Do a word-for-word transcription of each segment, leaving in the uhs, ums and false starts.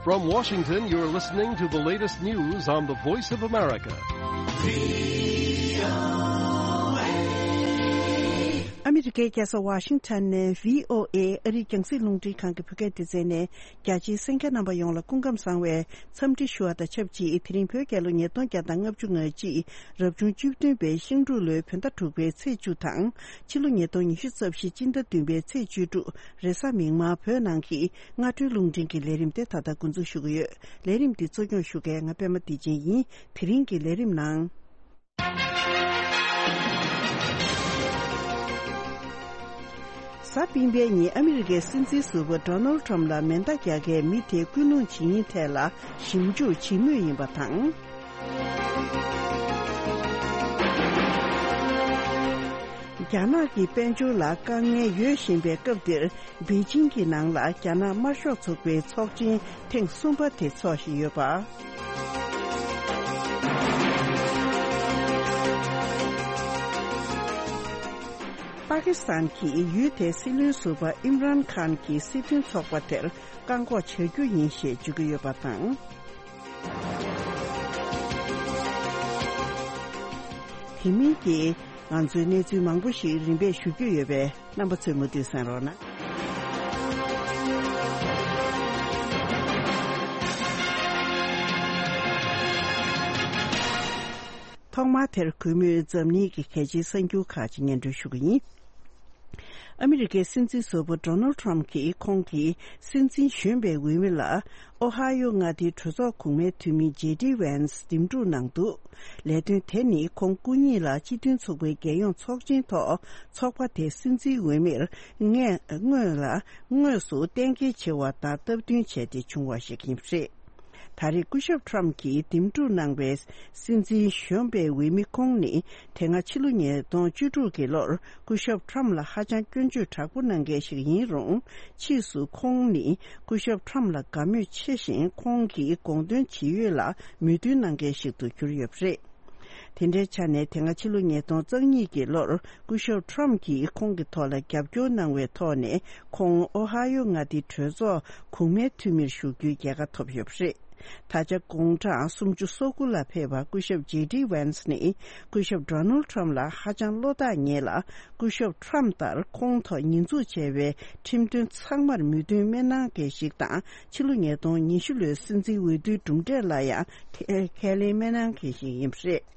From Washington, you're listening to the latest news on the Voice of America. ཨ་མི་རི་ཀའི་རྒྱལ་ས་ཝ་ཤིང་ཊོན་ནས་བྷི་ཨོ་ཨེ་ཨ་རིའི་རྒྱང་སྲིང་རླུང་འཕྲིན་ཁང་གི་བོད་སྐད་སྡེ་ཚན་ནས། རྒྱ་ཆེའི་གསན་མཁན་རྣམ་པ་ཡོངས་ལ་སྐུ་ཁམས་བཟང་བའི་འཚམས་འདྲི་ཞུ་བ་དང་ཆབས་ཅིག་དེ་རིང་བོད་རྒྱལ་ལོ་ཉིས་སྟོང་བརྒྱ་དང་ལྔ་བཅུ་ང་གཅིག་རབ་བྱུང་བཅུ་བདུན་པའི་ཤིང་འབྲུག་ལོའི་བོད་ཟླ་དྲུག་པའི་ཚེས་བཅུ་དང་། ཕྱི་ལོ་ཉིས་སྟོང་ཉི་ཤུ་རྩ་བཞི་སྤྱི་ཟླ་བདུན་པའི་ཚེས་བཅུ་དྲུག་རེས་གཟའ་མིག་དམར་བོད་ནང་གི་སྔ་དྲོའི་རླུང་འཕྲིན་གྱི་ལས་རིམ་དེ་ད་ལྟ་འགོ་འཛུགས་ཞུ་གི་ཡོད། ལས་རིམ་འདི་གཙོ་སྐྱོང་ཞུ་མཁན་ང་པད་མ་བདེ་ཆེན་ཡིན། དེ་རིང་གི་ལས་རིམ་ནང་། གཟའ་སྤེན་པའི་ཉིན་ཨ་མི་རི་ཀའི་སྲིད་འཛིན་ཟུར་པ་ཌོ་ནལ་ཊམ་ལ་མེ་མདའ་རྒྱག་མཁན་མི་དེ་སྐུལ་སློང་བྱེད་མིན་ཐད་ལ་ཞིབ་འཇུག་བྱེད་མུས་ཡིན་པ་དང་། རྒྱ་ནག་གི་དཔལ་འབྱོར་ལ་དཀའ་ངལ་ཡོད་བཞིན་པའི་སྐབས་འདིར། པེ་ཅིང་གི་ནང་ལ་རྒྱ་ནག་དམར་ཤོག་ཚོགས་པའི་ཚོགས་ཆེན་ཐེངས་གསུམ་པ་དེ་འཚོགས་བཞིན་ཡོད་པ། པ་ཀི་སི་ཐན་གྱིས་ཡུལ་དེའི་སྲིད་བློན་ཟུར་པ་ཨིམ་རན་ཁཱན་གྱི་སྲིད་དོན་ཚོགས་པ་དེར་བཀག་འགོག་བྱ་རྒྱུ་ཡིན་ཞེས་བརྗོད་ཀྱི་ཡོད་པ་དང་། དེ་མིན་གྱི་ང་ཚོའི་གནས་ཚུལ་མང་པོ་ཞིག་རིམ་པས་ཞུ་རྒྱུ་ཡོད་པས། རྣམ་པ་ཚོས་མུ་མཐུད་གསན་རོགས་གནང་། ཐོག་མར་དེར་གུས་མོས་འཛམ་གླིང་གི་གལ་ཆེའི་གསར་འགྱུར་ཁག་ཅིག་སྙན་སྒྲོན་ཞུ་གི་ཡིན། ཨ་མི་རི་ཀའི་སྲིད་འཛིན་ཟུར་པ་ཌོ་ནལ་ཊམ་གྱིས་ཁོང་གི་སྲིད་འཛིན་གཞོན་པའི་འོས་མི་ལ་ཨོ་ཧ་ཡོ་མངའ་སྡེའི་གྲོས་ཚོགས་གོང་མའི་འཐུས་མི་ཇེ་ཌི་ཝན་སི་འདེམས་སྒྲུག་གནང་འདུག་ལས་དོན་དེ་ནི་ཁོང་སྐུ་ཉིད་ལ་སྤྱི་མཐུན་ཚོགས་པའི་རྒྱལ་ཡོངས་ཚོགས་ཆེན་ཐོག་ཚོགས་པ་དེའི་སྲིད་འཛིན་འོས་མིར་སྔས་སྔོན་ལ་དངོས་སུ་གཏན་འཁེལ་བྱེད་པ་དང་སྟབས་བསྟུན་བྱས་ཏེ་བྱུང་བ་ཞིག་ཡིན་པ་རེད། ད་རེས་སྐུ་ཞབས་ཊམ་གྱིས་འདེམས་སྒྲུག་གནང་བའི་སྲིད་འཛིན་གཞོན་པའི་འོས་མི་ཁོང་ནི་དེ་སྔ་ཕྱི་ལོ་ཉིས་སྟོང་བཅུ་དྲུག་གི་ལོར་སྐུ་ཞབས་ཊམ་ལ་ཧ་ཅང་སྐྱོན་བརྗོད་དྲག་པོ་གནང་མཁན་ཞིག་ཡིན་རུང་། ཕྱིས་སུ་ཁོང་ནི་སྐུ་ཞབས་ཊམ་ལ་དགའ་མོས་ཆེ་ཞིང་། ཁོང་གི་དགོངས་དོན་ཇི་ཡོད་ལ་མོས་མཐུན་གནང་མཁན་ཞིག་ཏུ་གྱུར་ཡོད་པ་རེད། དེ་འདྲའི་ཆ་ནས་དེ་སྔ་ཕྱི་ལོ་ཉིས་སྟོང་རྩ་གཉིས་ཀྱི་ལོར་སྐུ་ཞབས་ཊམ་གྱིས་ཁོང་གི་ཐོག་ལ་རྒྱབ་སྐྱོར་གནང་བའི་ཐོག་ནས། ཁོང་ཨོ་ཧ་ཡོ་མངའ་སྡེའི་གྲོས་ཚོགས་གོང་མའི་འཐུས་མིར་བཞུགས་རྒྱུའི་རྒྱལ་ཁ་ཐོབ་ཡོད་པ་རེད། ད་ཆ་དགུང་གྲངས་སུམ་ཅུ་སོ་དགུ་ལ་ཕེབས་པ་སྐུ་ཞབས་ཇེ་ཌི་ཝན་སི་ནི་སྐུ་ཞབས་ཌོ་ནལ་ཊམ་ལ་ཧ་ཅང་བློ་ཐག་ཉེ་ལ། སྐུ་ཞབས་ཊམ་ལྟར་ཁོང་ཐོག་ཉེས་འཛུགས་བྱས་པའི་ཁྲིམས་དོན་ཚང་མར་མོས་མཐུན་མི་གནང་མཁན་ཞིག་དང་། ཕྱི་ལོ་ཉིས་སྟོང་ཉི་ཤུ་ལོའི་སྲིད་འཛིན་འོས་བསྡུའི་གྲུབ་འབྲས་ལ་ཡང་ཁས་ཁས་ལེན་མི་གནང་མཁན་ཞིག་ཡིན་པ་རེད།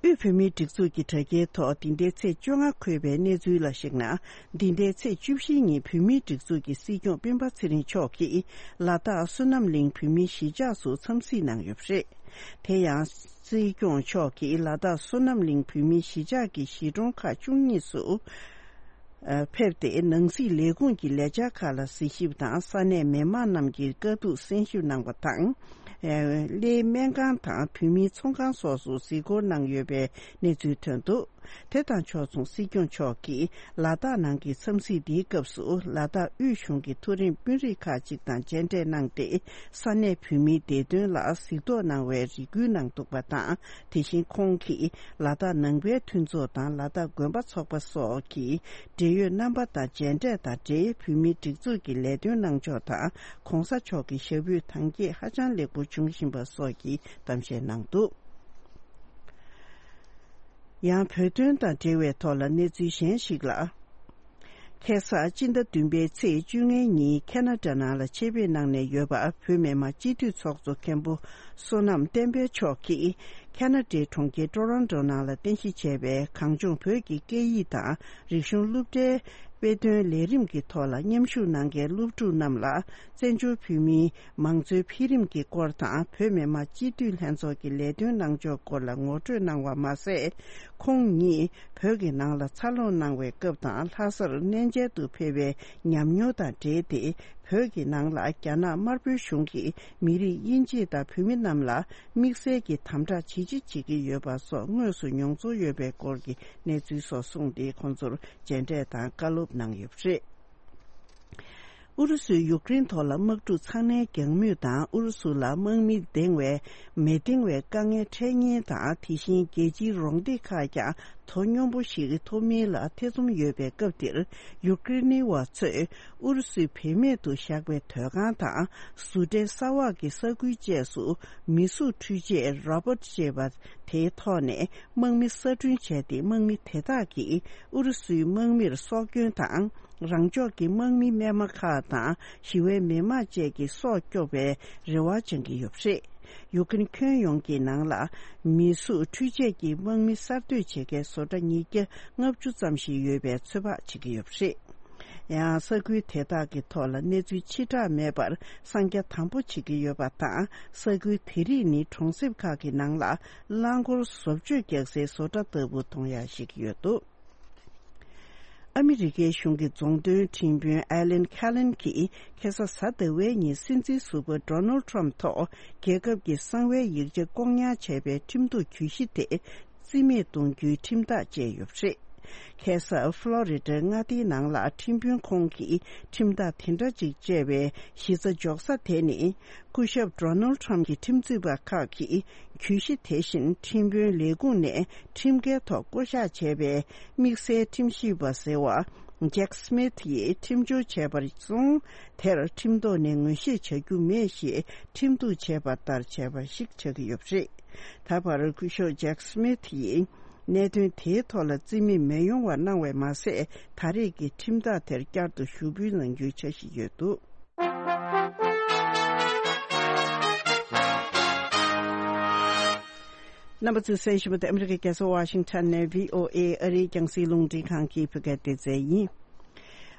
དབུས་བོད་མིའི་སྒྲིག་འཛུགས་ཀྱི་དྲ་རྒྱའི་ཐོག་འདི་ཟླའི་ཚེས་བཅོ་ལྔ་འཁོད་པའི་གནས་ཚུལ་ལ་གཞིགས་ན། འདི་ཟླའི་ཚེས་བཅུ་བཞིའི་ཉིན་བོད་མིའི་སྒྲིག་འཛུགས་ཀྱི་སྲིད་སྐྱོང་སྤེན་པ་ཚེ་རིང་མཆོག་གིས་ལ་དྭགས་བསོད་ནམས་གླིང་བོད་མིའི་གཞིས་ཆགས་སུ་འཚམས་གཟིགས་གནང་ཡོད་པ་རེད། དེ་ཡང་། སྲིད་སྐྱོང་མཆོག་གིས་ལ་དྭགས་བསོད་ནམས་གླིང་བོད་མིའི་གཞིས་ཆགས་ཀྱི་གཞིས་གྲོང་ཁག་བཅུ་གཉིས་སུ། ཕེབས་ཏེ། ནང་སྲིད་ལས་ཁུངས་ཀྱི་ལས་འཆར་ཁག་ལ་གཟིགས་ཞིབ་དང་། ས་གནས་མི་མང་རྣམས་ཀྱི་དཀའ་སྡུག་གསན་ཞིབ་གནང་བ་དང་། གླེའི་སྨན་ཁང་དང་བོད་མིའི་ཚོང་ཁང་སོགས་སུ་གཟིགས་སྐོར་གནང་ཡོད་པའི་གནས་ཚུལ་ཐོན་འདུག་དེ་དང་ཕྱོགས་མཚུངས་སྲིད་སྐྱོང་མཆོག་གིས་ལ་དྭགས་ནང་གི་འཚམས་གཟིགས་འདིའི་སྐབས་སུ། ལ་དྭགས་དབུས་གཞུང་གི་མཐོ་རིམ་དཔོན་རིགས་ཁག་ཅིག་དང་མཇལ་འཕྲད་གནང་སྟེ། ས་གནས་བོད་མིའི་བདེ་དོན་ལ་གཟིགས་རྟོག་གནང་བའི་རེ་སྐུལ་གནང་འདུག་པ་དང་། དེ་བཞིན་ཁོང་གིས་ལ་དྭགས་ནང་པའི་མཐུན་ཚོགས་དང་ལ་དྭགས་དགོན་པ་ཚོགས་པ་སོགས་ཀྱི་འབྲེལ་ཡོད་རྣམ་པ་དང་མཇལ་འཕྲད་དང་འབྲེལ། བོད་མིའི་སྒྲིག་འཛུགས་ཀྱི་ལས་དོན་གནང་ཕྱོགས་དང་། ༸གོང་ས་མཆོག་གི་ཞབས་པུས་དང་རྒྱས་ཧ་ཅང་ལེགས་པོ་བྱུང་བཞིན་པ་སོགས་ཀྱི་གཏམ་བཤད་གནང་འདུག་ཡང་བོད་དོན་དང་འབྲེལ་བའི་ཐོག་ལ་གནས་ཚུལ་གཞན་ཞིག་ལ། ཁ་སང་སྤྱི་ཟླ་བདུན་པའི་ཚེས་བཅོ་ལྔའི་ཉིན་ཁ་ན་ཌ་ནང་ལ་ཆེད་ཕེབས་གནང་ནས་ཡོད་པ་བོད་མི་མང་སྤྱི་འཐུས་ཚོགས་གཙོ་མཁན་པོ་བསོད་ནམས་བསྟན་འཕེལ་མཆོག་གིས། ཁ་ན་ཌའི་གྲོང་ཁྱེར་ཊོ་རོན་ཊོ་ནང་ལ་རྟེན་གཞི་བྱས་པའི་གངས་ལྗོངས་བོད་ཀྱི་སྐད་ཡིག་དང་རིག་གཞུང་སློབ་གྲྭའི་དཔེ་སྟོན་ལས་རིམ་གྱི་ཐོག་ལ་མཉམ་ཞུགས་གནང་མཁན་སློབ་ཕྲུག་རྣམས་ལ། བཙན་བྱོལ་བོད་མིའི་མང་གཙོའི་འཕེལ་རིམ་གྱི་སྐོར་དང་། བོད་མི་མང་སྤྱི་འཐུས་ལྷན་ཚོགས་ཀྱི་ལས་དོན་གནང་ཕྱོགས་སྐོར་ལ་ངོ་སྤྲོད་གནང་བ་མ་ཟད། ཁོང་ཉིད་བོད་ཀྱི་ནང་ལ་འཚར་ལོངས་གནང་བའི་སྐབས་དང་། ལྷ་སར་གནས་མཇལ་དུ་ཕེབས་པའི་ཉམས་མྱོང་དང་འབྲེལ་ཏེ། བོད་ཀྱི་ནང་ལ་རྒྱ་ནག་དམར་པོའི་གཞུང་གིས་མི་རིགས་དབྱེ་འབྱེད་དང་བོད་མི་རྣམས་ལ་དམིགས་བསལ་གྱི་དམ་དྲག་ཇི་ཆེ་བྱེད་ཀྱི་ཡོད་པ་སོགས་དངོས་སུ་མྱོང་ཚོར་ཡོད་པའི་སྐོར་གྱི་གནས་ཚུལ་སོགས་གསུངས་ཏེ། ཁོང་ཚོར་མཇལ་འཕྲད་དང་བཀའ་སློབ་གནང་ཡོད་པ་རེད། ཨུ་རུ་སུས་ཡུཀ་རེན་ཐོག་ལ་དམག་འཁྲུག་ཚང་མའི་རྒྱང་མུས་དང་། ཨུ་རུ་སུ་ལ་དམག་མི་འདེང་བའི་མི་འདེང་བའི་དཀའ་ངལ་འཕྲད་ཉེན་དང་། དེ་བཞིན་རྒྱལ་སྤྱིའི་རོགས་འདེགས་ཁག་ཀྱང་དོ་སྙོམས་པོ་ཞིག་ཐོབ་མིན་ལ་ཐེ་ཚོམ་ཡོད་པའི་སྐབས་འདིར། ཡུཀ་རེན་བ་ཚོས་ཨུ་རུ་སུས་བེད་མེད་དུ་བཞག་པའི་སྡོད་ཁང་དང་། བཟོ་གྲྭའི་ས་འོག་གི་ས་ཁུལ་བཅས་སུ་མི་གཟུགས་འཕྲུལ་ཆས་རོ་བོ་ཊི་ཅེས་པ་དེའི་ཐོག་ནས་དམག་མི་གསར་སྐྲུན་བྱས་ཏེ། དམག་མི་དེ་དག་གིས་ཨུ་རུ་སུའི་དམག་མིར་སྲོག་སྐྱོན་དང་། རང་ཕྱོགས་ཀྱི་དམག་མི་རྨས་མ་ཁག་དང་། ཞི་བའི་མི་མང་བཅས་ཀྱི་སྲོག་སྐྱོབ་པའི་རེ་བ་བཅང་གི་ཡོད་པ་རེད། ཡུཀ་རེན་ཁྱོན་ཡོངས་ཀྱི་ནང་ལ་མི་གཟུགས་འཕྲུལ་ཆས་ཀྱི་དམག་མི་གསར་གཏོད་བྱེད་མཁན་བཟོ་གྲྭ་ཉིས་བརྒྱ་ལྔ་བཅུ་ཙམ་ཞིག་ཡོད་པའི་ཚོད་དཔག་བྱེད་ཀྱི་ཡོད་པ་རེད། ཡང་ས་ཁུལ་དེ་དག་གི་ཐོག་ལ་གནས་ཚུལ་ཕྱི་བསྒྲགས་མེད་པར་གསང་རྒྱ་དམ་པོ་བྱེད་ཀྱི་ཡོད་པ་དང་། ས་ཁུལ་དེ་རིགས་ནི་གྲོང་གསེབ་ཁག་གི་ནང་ལ་རླངས་འཁོར་བཟོ་བཅོས་རྒྱག་སའི་བཟོ་གྲྭ་ལྟ་བུ་མཐོང་ཡག་ཞིག་ཡོད་འདུག་ཨ་མི་རི་ཀའི་གཞུང་གི་རྫོང་དོན་ཁྲིམས་དཔོན་ཨེ་ལན་ཁ་ལན་གྱིས་ཁ་སང་གཟའ་ཟླ་བའི་ཉིན་སྲིད་འཛིན་ཟུར་པ་ཌོ་ནལ་ཊམ་ཐོག་རྒྱལ་ཁབ་ཀྱི་གསང་བའི་ཡིག་ཆ་ལྐོག་ཉར་བྱས་པའི་ཁྲིམས་གཏུག་གྱོད་གཞི་དེ་རྩིས་མེད་གཏོང་རྒྱུའི་ཁྲིམས་ཐག་བཅད་ཡོད་པ་རེད། ཁ་སང་ཕློ་རི་ཌའི་མངའ་སྡེའི་ནང་ལ་ཁྲིམས་དཔོན་ཁོང་གིས་ཁྲིམས་ཐག་དེ་འདྲ་ཅིག་བཅད་པའི་གཞི་རྩ་འཇོག་ས་དེ་ནི། སྐུ་ཞབས་ཌོ་ནལ་ཊམ་གྱི་ཁྲིམས་རྩོད་པ་ཁག་གིས་གྱོད་གཞི་དེ་བཞིན་ཁྲིམས་དཔོན་ལས་ཁུངས་ནས་ཁྲིམས་འགལ་ཐོག་བསྐོ་གཞག་བྱས་པའི་དམིགས་བསལ་ཁྲིམས་ཞིབ་པ་ཟེར་བ་ཇེག་སི་མིད་ཡིས་ཁྲིམས་སྦྱོར་བྱས་པར་སོང་། དེར་ཁྲིམས་ཐོག་ནས་ངོས་བཞེས་བྱ་རྒྱུ་མེད་ཞེས་ཁྲིམས་གཏུག་བྱས་པ་ལྟར་བྱས་པ་ཞིག་ཆགས་ཀྱི་ཡོད་པ་རེད། ད་བར་སྐུ་ཞབས་ཇེག་སི་མིད་ཡིས་གནད་དོན་དེའི་ཐོག་ལ་རྩིས་མེད་མི་ཡོང་བ་གནང་བས་མ་ཟད། ད་རེས་ཀྱི་ཁྲིམས་ཐག་དེར་བསྐྱར་དུ་ཞུ་འབུལ་གནང་རྒྱུའི་འཆར་གཞི་ཡོད་འདུག་རྣམ་པ་ཚོས་གསན་བཞིན་པ་དེ་ཨ་མི་རི་ཀའི་རྒྱལ་ས་ཝ་ཤིང་ཊོན་ནས་བྷི་ཨོ་ཨེ་ཨ་རིའི་རྒྱང་སྲིང་རླུང་འཕྲིན་ཁང་གི་བོད་སྐད་སྡེ་ཚན་ཡིན།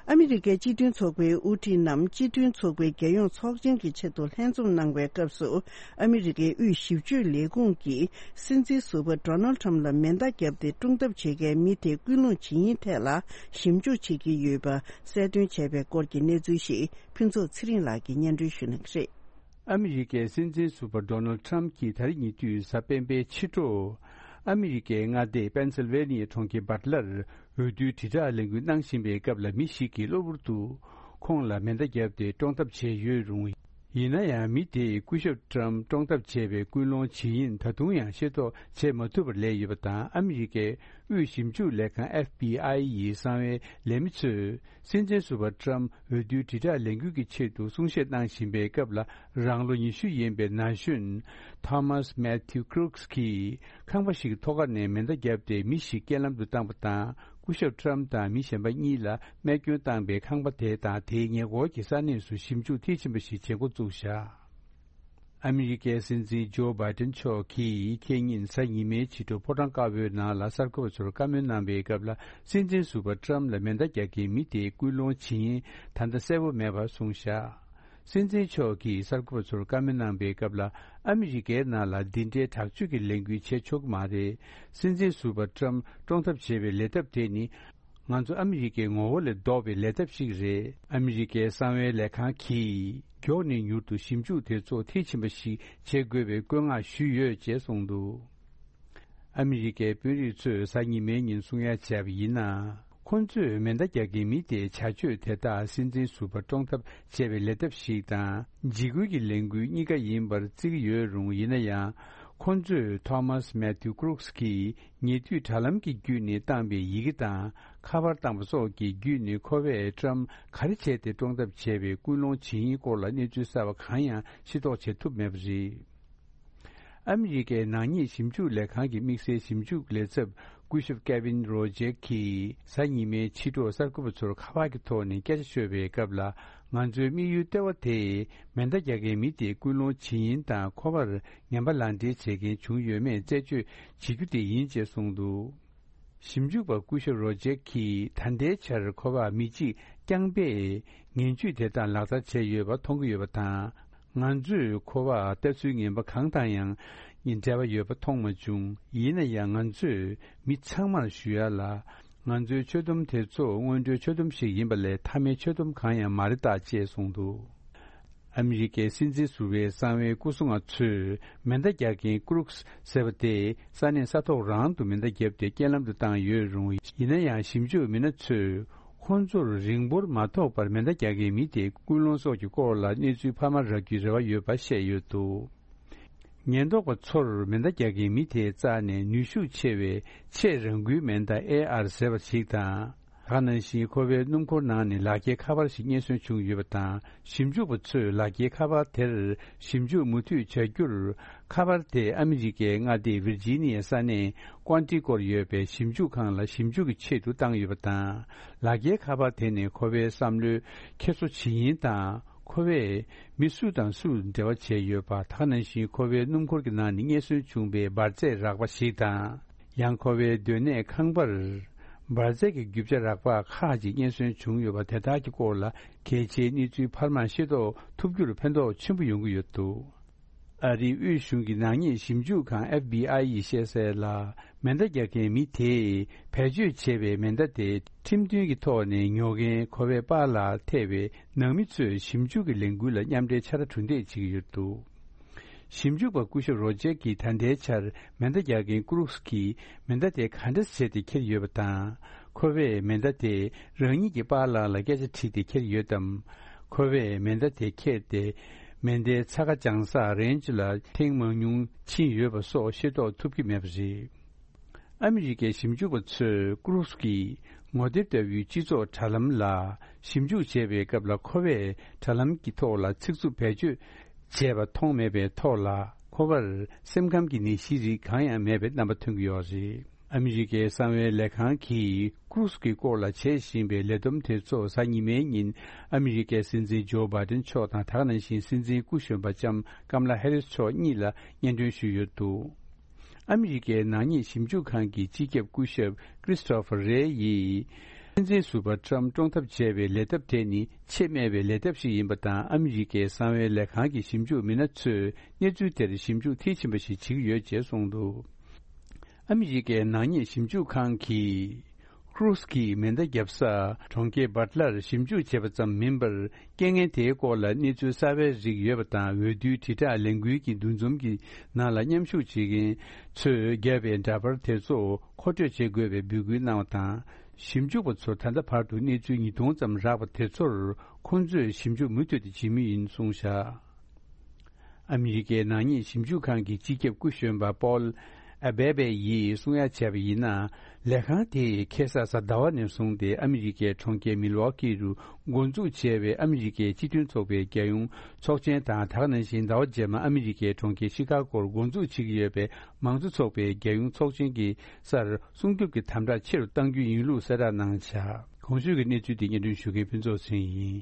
ཨ་མི་རི་ཀའི་སྤྱི་མཐུན་ཚོགས་པའི་དབུ་ཁྲིད་རྣམས་སྤྱི་མཐུན་ཚོགས་པའི་རྒྱལ་ཡོངས་ཚོགས་ཆེན་གྱི་ཆེད་དུ་ལྷན་འཛོམས་གནང་བའི་སྐབས་སུ། ཨ་མི་རི་ཀའི་དབུས་ཞིབ་དཔྱོད་ལས་ཁུངས་ཀྱིས་སྲིད་འཛིན་ཟུར་པ་ཌོ་ནལ་ཊམ་ལ་མེ་མདའ་བརྒྱབ་སྟེ་བཀྲོངས་ཐབས་བྱེད་མཁན་མི་དེ་སྐུལ་སློང་བྱེད་ཡིན་ཐད་ལ་ཞིབ་འཇུག་བྱེད་ཀྱི་ཡོད་པ་གསལ་སྟོན་བྱས་པའི་སྐོར་གྱི་གནས་ཚུལ་ཞིག་ཕུན་ཚོགས་ཚེ་རིང་ལགས་ཀྱིས་སྙན་སྒྲོན་ཞུ་གནང་གི་རེད། ཨ་མི་རི་ཀའི་སྲིད་འཛིན་ཟུར་པ་ཌོ་ནལ་ཊམ་གྱིས་ད་རེས་ཉེ་དུས་གཟའ་སྤེན་པའི་ཕྱི་དྲོ། ཨ་མི་རི་ཀའི་མངའ་སྡེ་པེན་སིལ་ཝེ་ནི་ཡའི་གྲོང་ཁྱེར་བྷཊ་ལར་འོས་བསྡུའི་དྲིལ་བསྒྲགས་ལས་འགུལ་གནང་བཞིན་པའི་སྐབས་ལ། མི་ཞིག་གིས་གློ་བུར་དུ་ཁོང་ལ་མེ་མདའ་བརྒྱབ་སྟེ་བཀྲོངས་ཐབས་བྱས་ཡོད་རུང་། ཡིན་ན་ཡང་མི་དེས་སྐུ་ཞབས་ཊམ་བཀྲོངས་ཐབས་བྱས་པའི་སྐུལ་སློང་ཇི་ཡིན་ད་དུང་ཡང་ཤེས་རྟོགས་བྱེད་མ་ཐུབ་པར་ལས་ཡོད་པ་དང་། ཨ་མི་རི་ཀའི་དབུས་ཞིབ་འཇུག་ལས་ཁང་ཨེཕ་བྷི་ཨའི་ཡི་གསང་བའི་ལས་མི་ཚོས། སྲིད་འཛིན་ཟུར་པ་ཊམ་འོས་བསྡུའི་དྲིལ་བསྒྲགས་ལས་འགུལ་གྱི་ཆེད་དུ་གསུང་བཤད་གནང་བཞིན་པའི་སྐབས་ལ། རང་ལོ་ཉི་ཤུ་ཡིན་པའི་ན་གཞོན་ཐོ་མཱས་མེ་ཐིའུ་ཀྲུག་གིས་ཁང་པ་ཞིག་གི་ཐོག་ཁ་ནས་མེ་མདའ་བརྒྱབ་སྟེ་མི་ཞིག་རྐྱེན་ལམ་དུ་བཏང་པ་དང་། སྐུ་ཞབས་ཊམ་དང་མི་གཞན་པ་གཉིས་ལ་རྨས་སྐྱོན་བཏང་པའི་ཁང་པ་དེ་དང་དེའི་ཉེ་འཁོར་གྱི་ས་གནས་སུ་ཞིབ་འཇུག་མཐིལ་ཕྱིན་པ་ཞིག་བྱེད་འགོ་བཙུགས་བཞག་ཨ་མི་རི་ཀའི་སྲིད་འཛིན་ཇོ་བྷའི་ཏིན་མཆོག་གིས་ཁེ་ཉིན་གཟའ་ཉི་མའི་ཕྱི་དྲོ་ཕོ་བྲང་དཀར་པོའི་ནང་ལ་གསར་འགོད་པ་ཚོར་བཀའ་མོལ་གནང་པའི་སྐབས་ལ། སྲིད་འཛིན་ཟུར་པ་ཊམ་ལ་མེ་མདའ་རྒྱག་མཁན་མི་དེའི་སྐུལ་སློང་ཇི་ཡིན་ད་ལྟ་གསལ་པོ་མེད་པ་གསུངས་བཞག་སྲིད་འཛིན་མཆོག་གིས་གསར་འགོད་པ་ཚོར་བཀའ་མོལ་གནང་པའི་སྐབས་ལ། ཨ་མི་རི་ཀའི་ནང་ལ་འདི་འདྲའི་དྲག་སྤྱོད་ཀྱི་ལས་འགུལ་བྱེད་ཆོག་གི་མ་རེད། སྲིད་འཛིན་ཟུར་པ་ཊམ་བཀྲོངས་ཐབས་བྱེད་པའི་ལས་ཐབས་དེ་ནི། ང་ཚོ་ཨ་མི་རི་ཀའི་ངོ་བོ་ལས་ལྡོག་པའི་ལས་ཐབས་ཤིག་རེད། ཨ་མི་རི་ཀའི་གསང་བའི་ལས་ཁང་གིས་མགྱོགས་ནས་མྱུར་དུ་ཞིབ་འཇུག་དེ་ཚོ་མཐིལ་ཕྱིན་པ་ཞིག་བྱེད་དགོས་པའི་བཀོད་མངགས་ཞུས་ཡོད་ཅེས་གསུངས་འདུག་ཨ་མི་རི་ཀའི་དཔོན་རིགས་ཚོས་གཟའ་ཉི་མའི་ཉིན་གསུང་ཡ་བྱས་པ་ཡིན་ན། ཁོ་ཚོས་མེ་མདའ་རྒྱག་མཁན་མི་དེའི་བྱ་སྤྱོད་དེ་དག་སྲིད་འཛིན་ཟུར་པ་བཀྲོངས་ཐབས་བྱས་པའི་ལས་ཐབས་ཤིག་དང་། འཇིགས་སྐུལ་གྱི་ལས་འགུལ་གཉིས་ཀ་ཡིན་པར་བརྩི་གི་ཡོད་རུང་། ཡིན་ན་ཡང་། ཁོ་ཚོས་ཐོ་མཱས་མེ་ཐིའུ་ཀྲུག་གིས་ཉེ་དུས་དྲ་ལམ་གྱི་བརྒྱུད་ནས་བཏང་པའི་ཡི་གེ་དང་། ཁ་པར་བཏང་པ་སོགས་ཀྱི་བརྒྱུད་ནས་ཁོ་པས་ཊམ་ག་རེ་བྱས་ཏེ་བཀྲོངས་ཐབས་བྱས་པའི་སྐུལ་སློང་བྱེད་ཡིན་སྐོར་ལ་གནས་ཚུལ་གསར་བ་གང་ཡང་ཤེས་རྟོགས་བྱེད་ཐུབ་མེད་པ་རེད། ཨ་མི་རི་ཀའི་ནག་ཉེས་ཞིབ་འཇུག་ལས་ཁང་གི་དམིགས་བསལ་ཞིབ་འཇུག་ལས་ཚབ་སྐུ་ཞབས་ཀེ་ཝིན་རོ་ཇེག་གིས་གཟའ་ཉི་མའི་ཕྱི་དྲོ་གསར་འགོད་པ་ཚོར་ཁ་པར་གྱི་ཐོག་ནས་སྐད་ཆ་ཤོད་པའི་སྐབས་ལ། ང་ཚོའི་དམིགས་ཡུལ་ལྟེ་བ་དེ་མེ་མདའ་རྒྱག་མཁན་མི་དེའི་སྐུལ་སློང་བྱེད་ཡིན་དང་། ཁོ་པར་ངན་པ་ལག་འབྲེལ་བྱེད་མཁན་བྱུང་ཡོད་མེད་རྩད་གཅོད་བྱེད་རྒྱུ་དེ་ཡིན་ཅེས་གསུངས་འདུག་ཞིབ་འཇུག་པ་སྐུ་ཞབས་རོ་ཇེག་གིས་ད་ལྟའི་ཆར་ཁོ་པ་མི་གཅིག་རྐྱང་པས་ངན་ཇུས་དེ་དག་ལག་བསྟར་བྱས་ཡོད་པ་མཐོང་གི་ཡོད་པ་དང་། ང་ཚོས་ཁོ་པ་ལྟ་ཚུལ་ངན་པ་གང་དང་ཡང་འབྲེལ་བ་ཡོད་པ་མཐོང་མ་བྱུང་། ཡིན་ན་ཡང་ང་ཚོས་མི་ཚང་མར་ཞུ་ཡ་ལ། ང་ཚོའི་ཆོད་སྡོམ་དེ་ཚོ་སྔོན་འགྲོའི་ཆོད་སྡོམ་ཞིག་ཡིན་པ་ལས་མཐའ་མའི་ཆོད་སྡོམ་གང་ཡང་མ་རེད་ད་ཅེས་གསུངས་འདུག་ཨ་མི་རི་ཀའི་སྲིད་འཛིན་ཟུར་པའི་གསང་བའི་སྐུ་སྲུང་བ་ཚོས་མེ་མདའ་རྒྱག་མཁན་ཀྲུག་ཟེར་བ་དེ་ས་གནས་ས་ཐོག་རང་དུ་མེ་མདའ་བརྒྱབ་སྟེ་རྐྱེན་ལམ་དུ་བཏང་ཡོད་རུང་། ཡིན་ན་ཡང་ཞིབ་འཇུག་མི་སྣ་ཚོས་ ཁོང་ཚོར་རིང་པོར་མ་ཐོགས་པར་མེ་མདའ་རྒྱག་མཁན་མི་དེའི་ཀུན་སློང་སོགས་ཀྱི་སྐོར་ལ་གནས་ཚུལ་འཕར་མ་རག་རྒྱུའི་རེ་བ་ཡོད་པ་བཤད་ཡོད་འདུག། ཉེན་རྟོག་པ་ཚོར་མེ་མདའ་རྒྱག་མཁན་མི་དེས་བཙགས་ནས་ནུས་ཤུགས་ཆེ་བའི་ཆེས་རང་འགུལ་མེ་མདའ་ཨེ་ཨར་ཟེར་བ་ཞིག་དང་། ད་ག་ནང་བཞིན་ཁོ་པའི་སྣུམ་འཁོར་ནང་ནས་ལག་འཁྱེར་ཁ་པར་ཞིག་རྙེད་སོན་བྱུང་ཡོད་པ་དང་། ཞིབ་འཇུག་པ་ཚོས་ལག་འཁྱེར་ཁ་པར་དེར་ཞིབ་འཇུག་མུ་མཐུད་བྱ་རྒྱུར། ཁ་པར་དེ་ཨ་མི་རི་ཀའི་མངའ་སྡེ་ཝིར་ཇི་ནི་ཡའི་ས་གནས་ཀོན་ཊི་སྐོར་ཡོད་པའི་ཞིབ་འཇུག་ཁང་ལ་ཞིབ་འཇུག་གི་ཆེད་དུ་བཏང་ཡོད་པ་དང་། ལག་འཁྱེར་ཁ་པར་དེ་ནས་ཁོ་པའི་བསམ་བློའི་འཁྱེར་སོ་ཇི་ཡིན་དང་། ཁོ་པས་མི་སུ་དང་སུ་འབྲེལ་བ་བྱས་ཡོད་པ། ད་ག་ནང་བཞིན་ཁོ་པའི་སྣུམ་འཁོར་གྱི་ནང་ནས་རྙེད་སོན་བྱུང་བའི་འབར་རྫས་རགས་པ་ཞིག་དང་། ཡང་ཁོ་པའི་སྡོད་གནས་ཁང་པར་འབར་རྫས་ཀྱི་རྒྱུ་ཆ་རགས་པ་ཁག་ཅིག་རྙེད་སོན་བྱུང་ཡོད་པ་དེ་དག་གི་སྐོར་ལ་གལ་ཆེའི་གནས་ཚུལ་འཕར་མ་ཤེས་རྟོགས་ཐུབ་རྒྱུར་ཕན་ཐོགས་ཆེན་པོ་ཡོང་གི་ཡོད་འདུག། ཨ་རིའི་དབུས་གཞུང་གི་ནག་ཉེས་ཞིབ་འཇུག་ཁང་ཨེཕ་བི་ཨའི་ཡིས་བཤད་གསལ་ལ། མེ་མདའ་རྒྱག་མཁན་མི་དེས་བེད་སྤྱོད་བྱས་པའི་མེ་མདའ་དེ་ཁྲིམས་མཐུན་གྱི་ཐོག་ནས་ཉོ་མཁན་ཁོ་པའི་པཱ་ལགས་ཐེ་བའི་ནང་མི་ཚོས་ཞིབ་འཇུག་གི་ལས་འགུལ་ལ་མཉམ་འབྲེལ་ཕྱག་ར་གྲུ་འདེགས་བྱེད་ཀྱི་ཡོད་འདུག། ཞིབ་འཇུག་པ་སྐུ་ཞབས་རོ་ཇེར་གྱིས་ད་ལྟའི་ཆར་མེ་མདའ་རྒྱག་མཁན་ཀུ་རུགས་ཀྱིས་མེ་མདའ་དེ་ག་འདྲ་བྱས་ཏེ་ཁྱེར་ཡོད་པ་དང་། ཁོ་པས་མེ་མདའ་དེ་རང་ཉིད་ཀྱི་པཱ་ལགས་ལ་སྐད་ཆ་དྲིས་ཏེ་ཁྱེར་ཡོད་དམ། ཁོ་པས་མེ་མདའ་དེ་ཁྱེར་ཏེ་མེ་མདའི་ཚ་ཁ་འཇང་སར་རེན་ཇི་ལ་ཐེངས་མང་ཉུང་ཕྱིན་ཡོད་པ་སོགས་ཤེས་རྟོགས་ཐུབ་ཀྱི་མེད་པ་རེད། ཨ་མི་རི་ཀའི་ཞིབ་འཇུག་པ་ཚོས་ཀུ་རུགས་ཀྱི་ངོ་དེབ་ལྟ་བུའི་སྤྱི་ཚོགས་དྲ་ལམ་ལ་ཞིབ་འཇུག་བྱེད་པའི་སྐབས་ལ་ཁོ་པས་དྲ་ལམ་གྱི་ཐོག་ལ་ཚིག་རྩུབ་བེད་སྤྱོད་བྱས་པ་མཐོང་མེད་པའི་ཐོག་ལ། ཁོ་པར་སེམས་ཁམས་ཀྱི་ནད་གཞིའི་རིགས་གང་ཡང་མེད་པའི་རྣམ་པ་ཐོན་གྱི་ཡོད་རེད། ཨ་མི་རི་ཀའི་གསང་བའི་ལས་ཁང་གིས་ཀུ་རུགས་ཀྱི་སྐོར་ལ་བྱེད་བཞིན་པའི་ལས་བསྡོམས་དེ་ཚོ་གཟའ་ཉི་མའི་ཉིན་ཨ་མི་རི་ཀའི་སྲིད་འཛིན་ཇོ་བྷའི་ཏིན་མཆོག་དང་། ད་ག་ནང་བཞིན་སྲིད་འཛིན་སྐུ་གཞོན་པ་ལྕམ་ཀམ་ལ་ཧེ་རིས་མཆོག་གཉིས་ལ་སྙན་སྒྲོན་ཞུས་ཡོད་འདུག། ཨ་མི་རི་ཀའི་ནག་ཉེས་ཞིབ་འཇུག་ཁང་གི་སྤྱི་ཁྱབ་སྐུ་ཞབས་ཀྲིས་ཏོ་ཕར་རེ་ཡིས། སྲིད་འཛིན་ཟུར་པ་ཊྲམ་བཀྲོངས་ཐབས་བྱས་པའི་ལས་ཐབས་དེ་ནི་ཆེས་སྨད་པའི་ལས་ཐབས་ཤིག་ཡིན་པ་དང་། ཨ་མི་རི་ཀའི་གསང་བའི་ལས་ཁང་གི་ཞིབ་འཇུག་མི་སྣ་ཚོས་གནས་ཚུལ་དེར་ཞིབ་འཇུག་མཐིལ་ཕྱིན་པ་ཞིག་བྱེད་ཀྱི་ཡོད་ཅེས་གསུངས་འདུག། ཨ་མི་རི་ཀའི་ནག་ཉེས་ཞིབ་འཇུག་ཁང་གིས། ཀུ་རུགས་ཀྱིས་མེ་མདའ་བརྒྱབ་ས་གྲོང་ཁྱེར་བྷཊ་ལར་ཞིབ་འཇུག་བྱས་པ་ཙམ་མིན་པར། རྐྱེན་ངན་དེའི་སྐོར་ལ་གནས་ཚུལ་གསར་པའི་རིགས་ཡོད་པ་དང་། འོས་བསྡུའི་དྲིལ་བསྒྲགས་ལས་འགུལ་གྱི་འདུ་འཛོམས་ཀྱི་ནང་ལ་མཉམ་ཞུགས་བྱེད་མཁན་ཚོས་བརྒྱབ་པའི་འདྲ་པར་དེ་ཚོ་མཁོ་སྤྲོད་བྱེད་དགོས་པའི་འབོད་སྐུལ་གནང་བ་དང་། ཞིབ་འཇུག་པ་ཚོར་ད་ལྟ་བར་དུ་གནས་ཚུལ་ཉིས་སྟོང་ཙམ་རག་པ་དེ་ཚོར་ཁོང་ཚོས་ཞིབ་འཇུག་མུ་མཐུད་དུ་བྱེད་མུས་ཡིན་གསུངས་བཞག། ཨ་མི་རི་ཀའི་ནག་ཉེས་ཞིབ་འཇུག་ཁང་གི་སྤྱི་ཁྱབ་སྐུ་གཞོན་པ་པོལ་ཨ་བེ་བེ་ཡིས་གསུང་ཡ་བྱས་པ་ཡིན་ན། ལས་ཁང་དེས་ཁ་སང་གཟའ་ཟླ་བ་ནས་བཟུང་སྟེ་ཨ་མི་རི་ཀའི་གྲོང་ཁྱེར་མིལ་ཝོ་ཀི་རུ་འགོ་འཛུགས་བྱས་པའི་ཨ་མི་རི་ཀའི་སྤྱི་མཐུན་ཚོགས་པའི་རྒྱལ་ཡོངས་ཚོགས་ཆེན་དང་། ད་ག་ནང་བཞིན་ཟླ་བ་རྗེས་མ་ཨ་མི་རི་ཀའི་གྲོང་ཁྱེར་ཤི་ཀ་གོར་འགོ་འཛུགས་བྱེད་ཀྱི་ཡོད་པའི་མང་གཙོ་ཚོགས་པའི་རྒྱལ་ཡོངས་ཚོགས་ཆེན་གྱི་སར་སྲུང་སྐྱོབ་ཀྱི་དམ་དྲག་ཆེ་རུ་གཏང་རྒྱུ་ཡིན་ལུགས་གསལ་བསྒྲགས་གནང་བཞག། གོང་ཞུས་ཀྱི་གནས་ཚུལ་དེ་སྙན་སྒྲོན་ཞུ་མཁན་ཕུན་ཚོགས་ཚེ་རིང་ཡིན།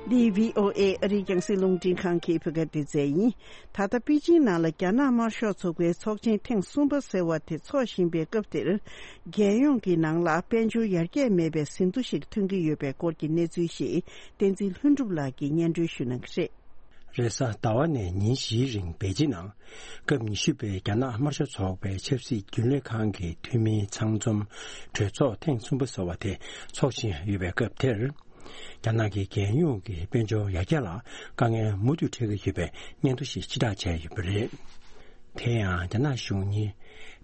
འདི་བྷི་ཨོ་ཨེ་ཨ་རིའི་རྒྱང་སྲིང་རླུང་འཕྲིན་ཁང་གི་བོད་སྐད་སྡེ་ཚན་ཡིན། ད་ལྟ་པེ་ཅིང་ནང་ལ་རྒྱ་ནག་དམར་ཤོག་ཚོགས་པའི་ཚོགས་ཆེན་ཐེངས་གསུམ་པ་ཟེར་བ་དེ་འཚོགས་བཞིན་པའི་སྐབས་དེར། རྒྱལ་ཡོངས་ཀྱི་ནང་ལ་དཔལ་འབྱོར་ཡར་རྒྱས་མེད་པའི་ཟིན་ཐོ་ཞིག་ཐོན་གྱི་ཡོད་པའི་སྐོར་གྱི་གནས་ཚུལ་ཞིག་བསྟན་འཛིན་ལྷུན་གྲུབ་ལགས་ཀྱིས་སྙན་སྒྲོན་ཞུ་གནང་གི་རེད། རེས་གཟའ་ཟླ་བ་ནས་ཉིན་བཞིའི་རིང་པེ་ཅིན་ནང་སྐབས་ཉི་ཤུ་པའི་རྒྱ་ནག་དམར་ཤོག་ཚོགས་པའི་ཆབ་སྲིད་རྒྱུན་ལས་ཁང་གི་འཐུས་མིའི་ཚང་འཛོམས་གྲོས་ཚོགས་ཐེངས་གསུམ་པ་ཟེར་བ་དེ་འཚོགས་བཞིན་ཡོད་པའི་སྐབས་དེར། རྒྱ་ནག་གི་རྒྱལ་ཡོངས་ཀྱི་དཔལ་འབྱོར་ཡར་རྒྱས་ལ་དཀའ་ངལ་མུ་མཐུད་འཕྲད་ཀྱི་ཡོད་པའི་སྙན་ཐོ་ཞིག་ཕྱིར་བསྒྲགས་བྱས་ཡོད་པ་རེད། དེ་ཡང་རྒྱ་ནག་གཞུང་ནི་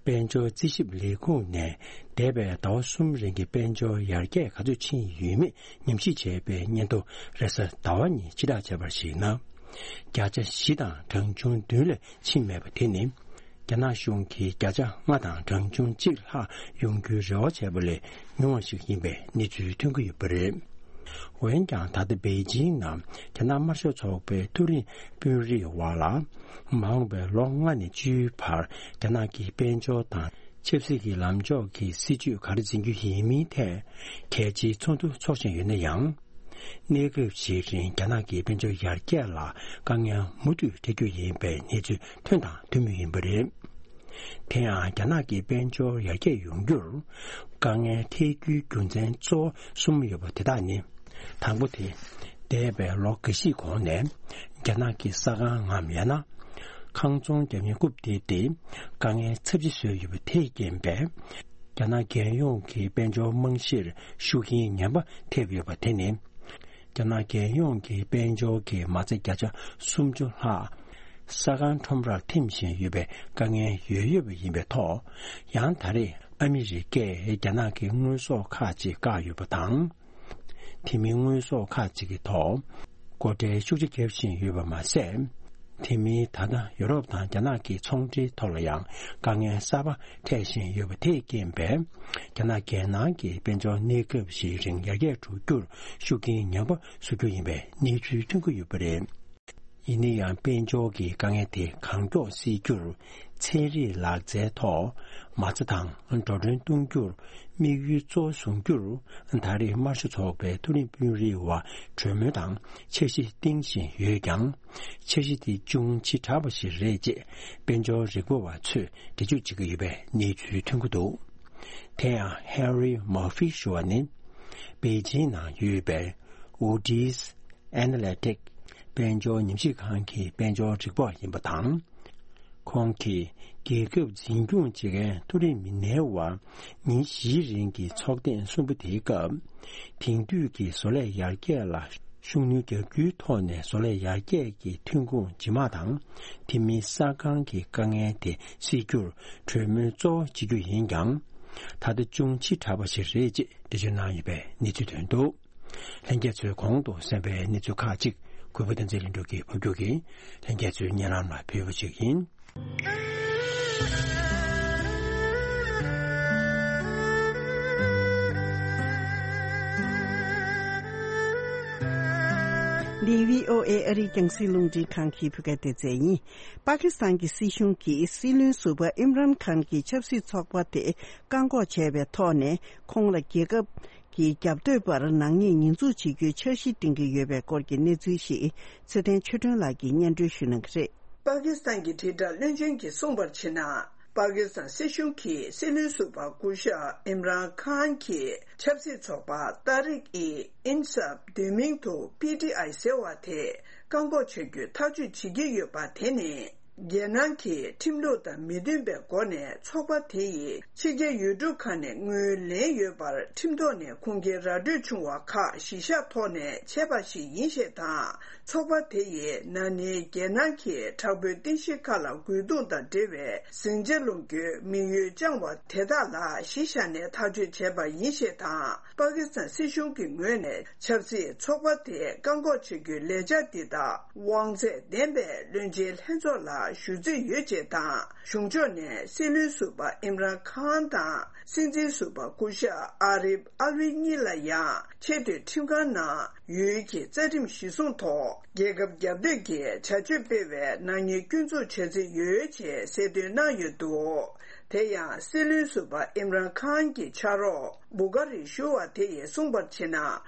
དཔལ་འབྱོར་རྩིས་ཞིབ་ལས་ཁུངས་ནས་འདས་པའི་ཟླ་བ་གསུམ་རིང་གི་དཔལ་འབྱོར་ཡར་རྒྱས་ག་ཚོད་ཕྱིན་ཡོད་མེད་ཉམས་ཞིབ་བྱས་པའི་སྙན་ཐོ་རེས་གཟའ་ཟླ་བ་ཉིན་ཕྱིར་བསྒྲགས་བྱས་པར་གཞིགས་ན། བརྒྱ་ཆ་བཞི་དང་གྲངས་ཆུང་བདུན་ལས་ཕྱིན་མེད་པ་དེ་ནི། རྒྱ་ནག་གཞུང་གིས་བརྒྱ་ཆ་ལྔ་དང་གྲངས་ཆུང་གཅིག་ལྷག་ཡོང་རྒྱུའི་རེ་བ་བྱས་པ་ལས་ཉུང་བ་ཞིག་ཡིན་པའི་གནས་ཚུལ་ཐོན་གྱི་ཡོད་པ་རེད། འོན་ཀྱང་། ད་ལྟ་པེ་ཅིང་ནང་རྒྱ་ནག་དམར་ཤོག་ཚོགས་པའི་མཐོ་རིམ་དཔོན་རིགས་བར་ལ། མ་འོངས་པའི་ལོ་ལྔ་ནས་བཅུའི་བར་རྒྱ་ནག་གི་དཔལ་འབྱོར་དང་ཆབ་སྲིད་ཀྱི་ལམ་ཕྱོགས་ཀྱི་སྲིད་ཇུས་ག་རེ་འཛིན་རྒྱུ་ཡིན་མིན་ཐད་གལ་ཆེའི་ཚོགས་འདུ་འཚོགས་བཞིན་ཡོད་ན་ཡང་། གནས་སྐབས་ཤིག་རིང་རྒྱ་ནག་གི་དཔལ་འབྱོར་ཡར་རྒྱས་ལ་དཀའ་ངལ་མུ་མཐུད་འཕྲད་རྒྱུ་ཡིན་པའི་གནས་ཚུལ་ཐོན་དང་ཐོན་མུས་ཡིན་པ་རེད། དེ་ཡང་རྒྱ་ནག་གི་དཔལ་འབྱོར་ཡར་རྒྱས་ཡོང་རྒྱུར་དཀའ་ངལ་འཕྲད་རྒྱུའི་རྒྱུ་མཚན་གཙོ་བོ་གསུམ་ཡོད་པ་དེ་དག་ནི། དང་པོ་དེ། འདས་པའི་ལོ་འགའ་ཤས་གོང་ནས་རྒྱ་ནག་གི་ས་ཁང་ངམ་ཡང་ན་ཁང་ཚོང་རྒྱག་མཁན་རྐུབ་སྟེགས་དེ་དཀའ་ངལ་ཚབས་ཆེ་བཟོས་ཡོད་པ་དེས་རྐྱེན་པས། རྒྱ་ནག་རྒྱལ་ཡོངས་ཀྱི་དཔལ་འབྱོར་རྨང་གཞིར་ཤུགས་རྐྱེན་ངན་པ་ཐེབས་ཡོད་པ་དེ་ནི། རྒྱ་ནག་རྒྱལ་ཡོངས་ཀྱི་དཔལ་འབྱོར་གྱི་མ་རྩ་བརྒྱ་ཆ་སུམ་ཅུ་ལྷག་ས་ཁང་ཁྲོམ་རར་ཐིམ་བཞིན་ཡོད་པའི་དཀའ་ངལ་ཡོད་ཡོད་པ་ཡིན་པའི་ཐོག། ཡང་ད་རེས་ཨ་མི་རི་ཀས་རྒྱ་ནག་གི་དངོས་ཟོག་ཁག་ཅིག་བཀག་ཡོད་པ་དང་། དེ་མིན་དངོས་ཟོག་ཁག་ཅིག་གི་ཐོག་སྒོ་ཁྲལ་ཤུགས་ཆེ་བརྒྱབ་བཞིན་ཡོད་པ་མ་ཟད། དེ་མིན་ད་ལྟ་ཡོ་རོབ་དང་རྒྱ་ནག་གི་ཚོང་འབྲེལ་ཐོག་ལ་ཡང་དཀའ་ངལ་གསར་པ་འཕྲད་བཞིན་ཡོད་པ་དེས་རྐྱེན་པས། རྒྱ་ནག་རྒྱལ་ནང་གི་དཔལ་འབྱོར་གནས་སྐབས་ཤིག་རིང་ཡར་རྒྱས་འགྲོ་རྒྱུར་ཤུགས་རྐྱེན་ཉམས་པ་བཟོ་རྒྱུ་ཡིན་པའི་གནས་ཚུལ་ཐོན་གྱི་ཡོད་པ་རེད། ཡིན་ན་ཡང་དཔལ་འབྱོར་གྱི་དཀའ་ངལ་དེ་གང་མགྱོགས་སེལ་རྒྱུར། ཚན་རིག་ལག་རྩལ་ཐོག་མ་རྩ་དང་འགྲོ་གྲོན་གཏོང་རྒྱུར་དམིགས་ཡུལ་གཙོ་བོ་བཟུང་རྒྱུར། ད་རེས་དམར་ཤོག་ཚོགས་པའི་མཐོ་རིམ་དཔོན་རིགས་དབར་གྲོས་མོལ་དང་འཆར་གཞི་བཏིང་བཞིན་ཡོད་ཀྱང་། འཆར་གཞི་དེ་ཅུང་ཕྱི་དྲགས་པ་ཞིག་རེད་ཅེས་དཔལ་འབྱོར་རིག་པ་བ་ཚོས་འགྲེལ་བརྗོད་བྱེད་ཀྱི་ཡོད་པའི་གནས་ཚུལ་ཐོན་གྱི་འདུག་དེ་ཡང་Harry Murphy ཞུ་བ་ནི། པེ་ཅིང་ནང་ཡོད་པའི་Moody's Analytics དཔལ་འབྱོར་ཉམས་ཞིབ་ཁང་གི་དཔལ་འབྱོར་རིག་པ་བ་ཡིན་པ་དང་། ཁོང་གིས་རྒྱལ་ཁབ་འཛིན་སྐྱོང་བྱེད་མཁན་མཐོ་རིམ་མི་སྣའི་དབར་ཉིན་བཞིའི་རིང་གི་ཚོགས་ཐེངས་གསུམ་པ་དེའི་སྐབས། དེང་དུས་ཀྱི་བཟོ་ལས་ཡར་རྒྱས་ལ་ཤུགས་སྣོན་རྒྱག་རྒྱུའི་ཐོག་ནས་བཟོ་ལས་ཡར་རྒྱས་ཀྱི་ཐོན་ཁུངས་ཇི་མ་དང་། དེ་མིན་གསར་ཁང་གི་དཀའ་ངལ་དེ་སེལ་རྒྱུར་གྲོས་མོལ་གཙོ་བོ་བྱེད་རྒྱུ་ཡིན་ཀྱང་། ད་ལྟ་ཅུང་ཕྱི་དྲགས་པ་ཞིག་རེད་ཅེས་འགྲེལ་བརྗོད་གནང་ཡོད་པའི་གནས་ཚུལ་ཐོན་འདུག་ལྷན་རྒྱས་ཚོས་གོང་དུ་གསན་པའི་གནས་ཚུལ་ཁག་ཅིག་གུས་པ་བསྟན་འཛིན་ལྷུན་གྲུབ་ཀྱིས་ཕབ་སྒྱུར་གྱིས་ལྷན་རྒྱས་ཚོའི་སྙན་ལམ་ལ་ཕུལ་བ་ཞིག་ཡིན། འདི་བྷི་ཨོ་ཨེ་ཨ་རིའི་རྒྱང་སྲིང་རླུང་འཕྲིན་ཁང་གི་བོད་སྐད་སྡེ་ཚན་ཡིན། པ་ཀི་སི་ཐན་གྱི་སྲིད་གཞུང་གིས་སྲིད་བློན་ཟུར་པ་ཨིམ་རན་ཁཱན་གྱི་ཆབ་སྲིད་ཚོགས་པ་དེ་བཀག་འགོག་བྱས་པའི་ཐོག་ནས། ཁོང་ལ་རྒྱལ་ཁབ་ཀྱི་རྒྱབ་གཏོད་པར་ནག་ཉེས་ཉེས་འཛུགས་བྱེད་རྒྱུའི་འཆར་གཞི་འདིང་གི་ཡོད་པའི་སྐོར་གྱི་གནས་ཚུལ་ཞིག་ཚེ་བརྟན་ཆོས་སྒྲོན་ལགས་ཀྱིས་སྙན་སྒྲོན་ཞུ་གནང་གི་རེད། པ་ཀི་སི་ཐན་གྱི་དྲིལ་བསྒྲགས་བློན་ཆེན་གྱིས་གསུངས་པར་བྱས་ན། པ་ཀི་སི་ཐན་སྲིད་གཞུང་གིས་སྲིད་བློན་ཟུར་པ་སྐུ་ཞབས་ཨིམ་རན་ཁཱན་གྱི་ཆབ་སྲིད་ཚོགས་པ་ཏཱ་རིག་ཨི་ཨིན་སབ་བསྡུས་མིང་དུ་པི་ཊི་ཨའི་ཟེར་བ་དེ་བཀག་འགོག་བྱ་རྒྱུའི་ཐག་གཅོད་བྱེད་ཀྱི་ཡོད་པ་དེ་ནི། རྒྱལ་ནང་གི་ཁྲིམས་ལུགས་དང་མི་མཐུན་པའི་སྒོ་ནས་ཚོགས་པ་དེ་ཡིས་ཕྱི་རྒྱལ་ཡུལ་གྲུ་ཁག་ནས་དངུལ་ལེན་ཡོད་པར་ཁྲིམས་ཐོག་ནས་ཁུངས་སྐྱེལ་ར་སྤྲོད་བྱུང་བ་ཁག་གཞི་བཞག་ཐོག་ནས་བྱས་པ་ཞིག་ཡིན་ཞེས་དང་། ཚོགས་པ་དེ་ཡིས་ན་ནིང་རྒྱལ་ནང་གི་དྲག་པོའི་རྟེན་གཞི་ཁག་ལ་རྒོལ་རྡུང་དང་འབྲེལ་བའི་ཟིང་ཆ་སློང་རྒྱུའི་དམིགས་ཡུལ་བཅངས་པ་དེ་དག་ལ་གཞི་བཞག་ནས་ཐག་གཅོད་བྱས་པ་ཡིན་ཞེས་དང་། པ་ཀི་སི་ཐན་སྲིད་གཞུང་གི་ངོས་ནས་ཆབ་སྲིད་ཚོགས་པ་དེ་བཀག་འགོག་བྱ་རྒྱུའི་ལས་འཆར་འདི་དག་དབང་ཚད་ལྡན་པའི་བློན་ཆེན་ལྷན་ཚོགས་ལ་ཞུ་རྩིས་ཡོད་ཅེས་དང་། གཞུང་ཕྱོགས་ནས་སྲིད་བློན་ཟུར་པ་ཨིམ་རན་ཁཱན་དང་། སྲིད་འཛིན་ཟུར་པ་སྐུ་ཞབས་ཨ་རིབ་ཨལ་ཝི་གཉིས་ལ་ཡང་ཆེས་མཐོའི་ཁྲིམས་ཁང་ནང་ཡུལ་གྱི་རྩ་ཁྲིམས་གཞིར་བཟུང་ཐོག་རྒྱལ་ཁབ་རྒྱབ་གཏོད་ཀྱི་བྱ་སྤྱོད་སྤེལ་བའི་ནག་ཉེས་སྐྱོན་འཛུགས་བྱ་རྩིས་ཡོད་ཅེས་གསལ་སྟོན་གནང་ཡོད་འདུག་དེ་ཡང་སྲིད་བློན་ཟུར་པ་ཨིམ་རན་ཁཱན་གྱི་ཕྱག་རོགས་བུ་ཀ་རི་ཞུ་བ་དེ་ཡིས་གསུངས་པར་བྱས་ན།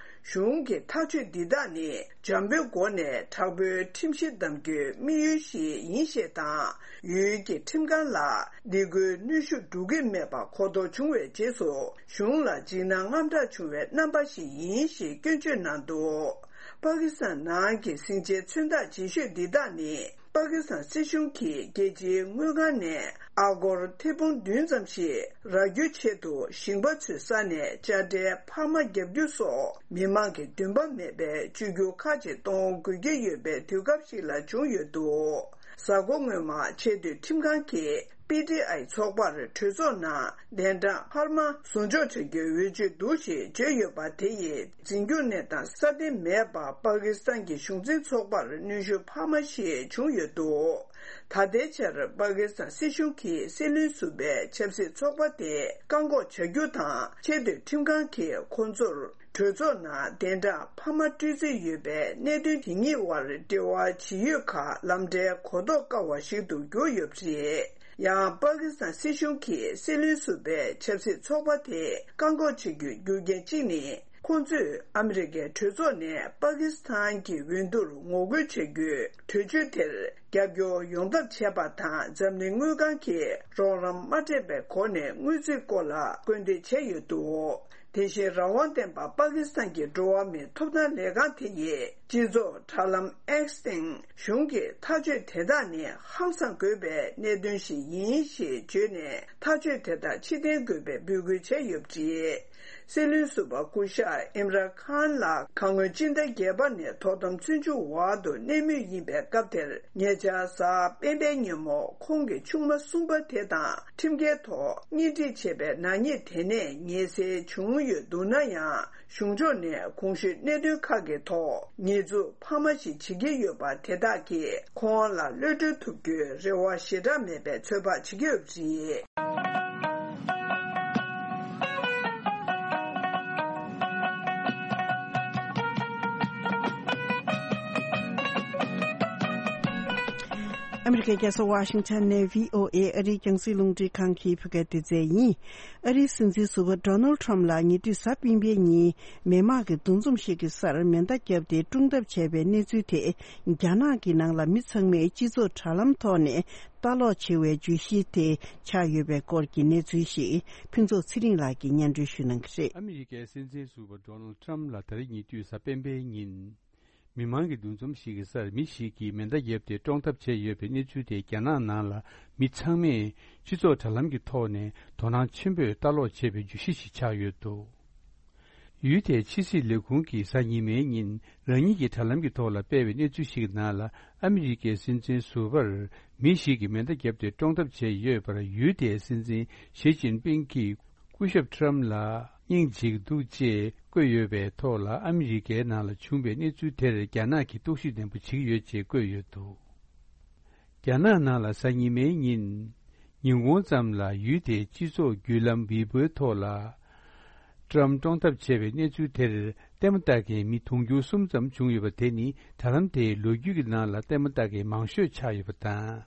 གཞུང་གི་ཐག་གཅོད་འདི་དག་ནི་འཇམ་པོའི་སྒོ་ནས་དྲག་པོའི་ཁྲིམས་གཞི་བསྡམ་རྒྱུའི་དམིགས་ཡུལ་ཞིག་ཡིན་ཞེས་དང་། ཡུལ་གྱི་ཁྲིམས་ཁང་ལ་འདི་ཁུལ་གནོན་ཤུགས་འགྲོ་གི་མེད་པ་གོ་རྟོགས་བྱུང་བའི་རྗེས་སུ། གཞུང་ལ་འཇིགས་སྣང་དངངས་སྐྲག་བྱུང་བའི་རྣམ་པ་ཞིག་ཡིན་ཞེས་སྐྱོན་བརྗོད་གནང་འདུག་པ་ཀི་སི་ཐན་ནང་གི་ཟིང་ཆའི་མཚོན་རྟགས་ལྗིད་ཤོས་འདི་དག་ནི། པ་ཀི་སི་ཐན་སྲིད་གཞུང་གིས་རྒྱལ་སྤྱིའི་དངུལ་ཁང་ནས་ཨ་སྒོར་ཐེར་འབུམ་བདུན་ཙམ་ཞིག་རག་རྒྱུའི་ཆེད་དུ་ཞིང་པ་ཚོའི་ས་ནས་དཔྱ་ཁྲལ་འཕར་མ་བརྒྱབ་རྒྱུ་སོགས། མི་མང་གི་འདུན་པ་མེད་པའི་བཅོས་བསྒྱུར་ཁག་ཅིག་གཏོང་དགོས་ཀྱི་ཡོད་པའི་དུས་སྐབས་ཤིག་ལ་བྱུང་ཡོད་འདུག་གཟའ་འཁོར་སྔོན་མ་ཆེས་མཐོའི་ཁྲིམས་ཁང་གིས། པི་ཊི་ཨའི་ཚོགས་པར་གྲོས་ཚོགས་ནང་གདན་གྲངས་འཕར་མ་བཟོ་འཇོག་བྱ་རྒྱུའི་འོས་ཆོས་འདུག་ཞེས་བརྗོད་ཡོད་པ་དེ་ཡིས་འཛིན་སྐྱོང་གནས་སྟངས་སྲ་བརྟན་མེད་པར་པ་ཀི་སི་ཐན་གྱི་གཞུང་འཛིན་ཚོགས་པར་གནོན་ཤུགས་འཕར་མ་ཞིག་བྱུང་ཡོད་འདུག་ད་ལྟའི་ཆར་པ་ཀི་སི་ཐན་སྲིད་གཞུང་གིས་སྲིད་བློན་ཟུར་པའི་ཆབ་སྲིད་ཚོགས་པ་དེ་བཀག་འགོག་བྱ་རྒྱུ་དང་ཆེས་མཐོའི་ཁྲིམས་ཁང་གིས་ཁོང་ཚོར། གྲོས་ཚོགས་ནང་གདན་གྲངས་འཕར་མ་སྤྲོད་རྩིས་ཡོད་པའི་གནད་དོན་དེ་གཉིས་དབར་འབྲེལ་བ་ཇི་ཡོད་ཁག་ལམ་འབྲས་གོ་རྟོགས་དཀའ་བ་ཞིག་ཏུ་གྱུར་ཡོད་པ་རེད། ཡང་པ་ཀི་སི་ཐན་སྲིད་གཞུང་གིས་སྲིད་བློན་ཟུར་པའི་ཆབ་སྲིད་ཚོགས་པ་དེ་བཀག་འགོག་བྱེད་རྒྱུའི་རྒྱུ་རྐྱེན་གཅིག་ནི། ཁོང་ཚོས་ཨ་མི་རི་ཀའི་གྲོས་ཚོགས་ནས་པ་ཀི་སི་ཐན་གྱི་འོས་བསྡུར་ངོ་རྒོལ་བྱ་རྒྱུའི་གྲོས་ཆོད་དེར་རྒྱབ་སྐྱོར་ཡོང་ཐབས་བྱས་པ་དང་། འཛམ་གླིང་དངུལ་ཁང་གིས་རོགས་རམ་མ་སྤྲད་པའི་སྒོ་ནས་དངུལ་རྩིས་སྐོར་ལ་སྐུལ་འདེད་བྱས་ཡོད་འདུག་དེ་བཞིན་རང་དབང་ལྡན་པ་པ་ཀི་སི་ཐན་གྱི་འགྲོ་བ་མིའི་ཐོབ་ཐང་ལས་ཁང་དེ་ཡིས་སྤྱི་ཚོགས་དྲ་ལམ་X་སྟེང་གཞུང་གི་ཐག་གཅོད་དེ་དག་ནི་ཧང་སང་དགོས་པའི་གནད་དོན་ཞིག་ཡིན་ཞེས་བརྗོད་ནས། ཐག་གཅོད་དེ་དག་ཕྱིར་འཐེན་དགོས་པའི་འབོད་སྐུལ་བྱས་ཡོད་པ་རེད། སྲིད་བློན་ཟུར་པ་སྐུ་ཞབས་ཨིམ་རཱན་ཁཱན་ལགས་ཁ་སྔོན་སྤྱི་ཟླ་བརྒྱད་པ་ནས་དོ་དམ་བཙོན་འཇུག་འོག་ཏུ་གནས་མུས་ཡིན་པའི་སྐབས་དེར། ཉེ་ཆར་གཟའ་སྤེན་པའི་ཉིན་མོ་ཁོང་གི་ཆུང་མ་གསུམ་པ་དེ་དང་ཁྲིམས་འགལ་ཐོག་གཉེན་སྒྲིག་བྱས་པའི་ནག་ཉེས་དེ་ནས་ངེས་སེལ་བྱུང་ཡོད་འདུག་ན་ཡང་། གཞུང་ཕྱོགས་ནས་གོང་ཞུས་གནད་དོན་ཁག་གི་ཐོག་ཉེས་འཛུགས་འཕར་མ་ཞིག་བྱེད་ཀྱི་ཡོད་པ་དེ་དག་གིས་ཁོང་ལ་གློད་གྲོལ་ཐུབ་རྒྱུའི་རེ་བ་ཞེ་དྲག་མེད་པའི་ཚོད་དཔག་བྱེད་ཀྱི་ཡོད་པ་རེད། ཨ་མི་རི་ཀའི་རྒྱལ་ས་ཝ་ཤིང་ཊོན་ནས་བྷི་ཨོ་ཨེ་ཨ་རིའི་རྒྱང་སྲིང་རླུང་འཕྲིན་ཁང་གི་བོད་སྐད་སྡེ་ཚན་ཡིན། ཨ་རིའི་སྲིད་འཛིན་ཟུར་པ་ཌོ་ནལ་ཊམ་ལགས་ཉེ་དུས་གཟའ་སྤེན་པའི་ཉིན་མི་མང་གི་འདུ་འཛོམས་ཤིག་གི་སར་མེ་མདའ་བརྒྱབ་སྟེ་བཀྲོངས་ཐབས་བྱས་པའི་གནས་ཚུལ་དེ། རྒྱ་ནག་གི་ནང་ལ་མི་ཚང་མས་སྤྱི་ཚོགས་དྲ་ལམ་ཐོག་ནས་ལྟ་ཀློག་བྱེད་པའི་བརྗོད་གཞི་དེ་ཆགས་ཡོད་པའི་སྐོར་གྱི་གནས་ཚུལ་ཞིག་ཕུན་ཚོགས་ཚེ་རིང་ལགས་ཀྱིས་སྙན་སྒྲོན་ཞུ་གནང་གི་རེད། ཨ་མི་རི་ཀའི་སྲིད་འཛིན་ཟུར་པ་ཌོ་ནལ་ཊམ་ལགས་ད་རེས་ཉེ་དུས་གཟའ་སྤེན་པའི་ཉིན། མི་མང་གི་འདུ་འཛོམས་ཤིག་གི་སར་མི་ཞིག་གིས་མེ་མདའ་བརྒྱབ་སྟེ་བཀྲོངས་ཐབས་བྱས་ཡོད་པའི་གནས་ཚུལ་དེ་རྒྱ་ནག་ནང་ལ་མི་ཚང་མས་སྤྱི་ཚོགས་དྲ་ལམ་གྱི་ཐོག་ནས་དོ་སྣང་ཆེན་པོས་ལྟ་ཀློག་བྱེད་པའི་བརྗོད་གཞི་ཞིག་ཆགས་ཡོད་འདུག་ཡུལ་དེའི་ཕྱི་སྲིད་ལས་ཁུངས་ཀྱིས་གཟའ་ཉི་མའི་ཉིན་རང་ཉིད་ཀྱི་དྲ་ལམ་གྱི་ཐོག་ལ་སྤེལ་བའི་གནས་ཚུལ་ཞིག་གི་ནང་ལ། ཨ་མི་རི་ཀའི་སྲིད་འཛིན་ཟུར་པར་མི་ཞིག་གིས་མེ་མདའ་བརྒྱབ་སྟེ་བཀྲོངས་ཐབས་བྱས་ཡོད་པར་ཡུལ་དེའི་སྲིད་འཛིན་ཞི་ཅིན་ཕིང་གིས། སྐུ་ཞབས་ཊམ་ལ་སྙིང་རྗེ་གི་འདུག་ཅེས་བཀོད་ཡོད་པའི་ཐོག་ལ། ཨ་མི་རི་ཀའི་ནང་ལ་བྱུང་བའི་གནས་ཚུལ་དེར་རྒྱ་ནག་གིས་རྟོག་ཞིབ་ནན་པོ་བྱེད་ཀྱི་ཡོད་ཅེས་བཀོད་ཡོད་འདུག་རྒྱ་ནག་ནང་ལ་གཟའ་ཉི་མའི་ཉིན། ཉིན་གུང་ཙམ་ལ་ཡུལ་དེའི་སྤྱི་ཚོགས་བརྒྱུད་ལམ་ཝི་པོའི་ཐོག་ལ། ཊམ་བཀྲོངས་ཐབས་བྱས་པའི་གནས་ཚུལ་དེར་ལྟད་མོ་ལྟ་མཁན་མི་དུང་ཕྱུར་གསུམ་ཙམ་བྱུང་ཡོད་པ་དེ་ནི་དྲ་ལམ་དེའི་ལོ་རྒྱུས་ཀྱི་ནང་ལ་ལྟད་མོ་ལྟ་མཁན་མང་ཤོས་ཆགས་ཡོད་པ་དང་།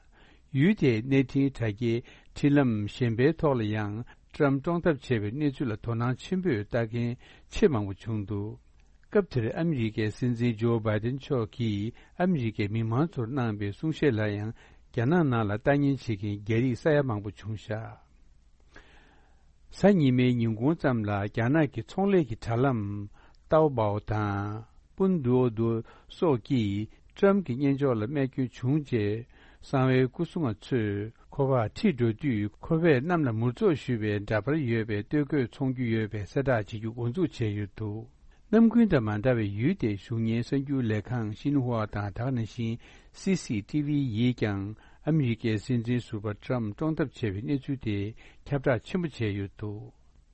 ཡུལ་དེའི་གནས་འཕྲིན་དྲ་རྒྱའི་འཕྲིན་ལམ་གཞན་པའི་ཐོག་ལ་ཡང་ཊམ་བཀྲོངས་ཐབས་བྱས་པའི་གནས་ཚུལ་ལ་དོ་སྣང་ཆེན་པོས་ལྟ་མཁན་ཆེས་མང་པོ་བྱུང་འདུག་སྐབས་དེར་ཨ་མི་རི་ཀའི་སྲིད་འཛིན་ཇོ་བྷའི་ཏན་མཆོག་གིས་ཨ་མི་རི་ཀའི་མི་མང་ཚོར་གནང་བའི་གསུང་བཤད་ལ་ཡང་རྒྱ་ནག་ནང་ལ་ལྟ་ཉན་བྱེད་མཁན་རྒྱ་རིགས་ས་ཡ་མང་པོ་བྱུང་བཞག་གཟའ་ཉི་མའི་ཉིན་གུང་ཙམ་ལ་རྒྱ་ནག་གི་ཚོང་ལས་ཀྱི་དྲ་ལམ་ཏའོ་པའོ་དང་པུན་ཏུའོ་ཏུའོ་སོགས་ཀྱིས་ཊམ་གྱི་སྙན་ཅོག་ལ་རྨས་སྐྱོན་བྱུང་རྗེས། གསང་བའི་སྐུ་སྲུང་བ་ཚོས་ཁོ་པ་ཁྲིད་འགྲོ་དུས་ཁོ་པས་གནམ་ལ་མུར་ཙོག་གཞུས་པའི་འདྲ་པར་ཡོད་པའི་སྟོད་གོས་འཚོང་རྒྱུ་ཡོད་པའི་གསལ་བསྒྲགས་བྱེད་རྒྱུ་འགོ་འཛུགས་བྱས་ཡོད་འདུག་གནམ་རྐུན་དང་མ་འདྲ་བའི་ཡུལ་དེའི་གཞུང་གཉེར་གསར་འགྱུར་ལས་ཁང་ཤིན་ཧྭ་དང་དེ་ག་ནང་བཞིན་སི་སི་ཊི་ཝི་ཡིས་ཀྱང་ཨ་མི་རི་ཀའི་སྲིད་འཛིན་ཟུར་པ་ཊམ་བཀྲོངས་ཐབས་བྱས་པའི་གནས་ཚུལ་དེ་ཁྱབ་བསྒྲགས་ཆེན་པོ་བྱས་ཡོད་འདུག་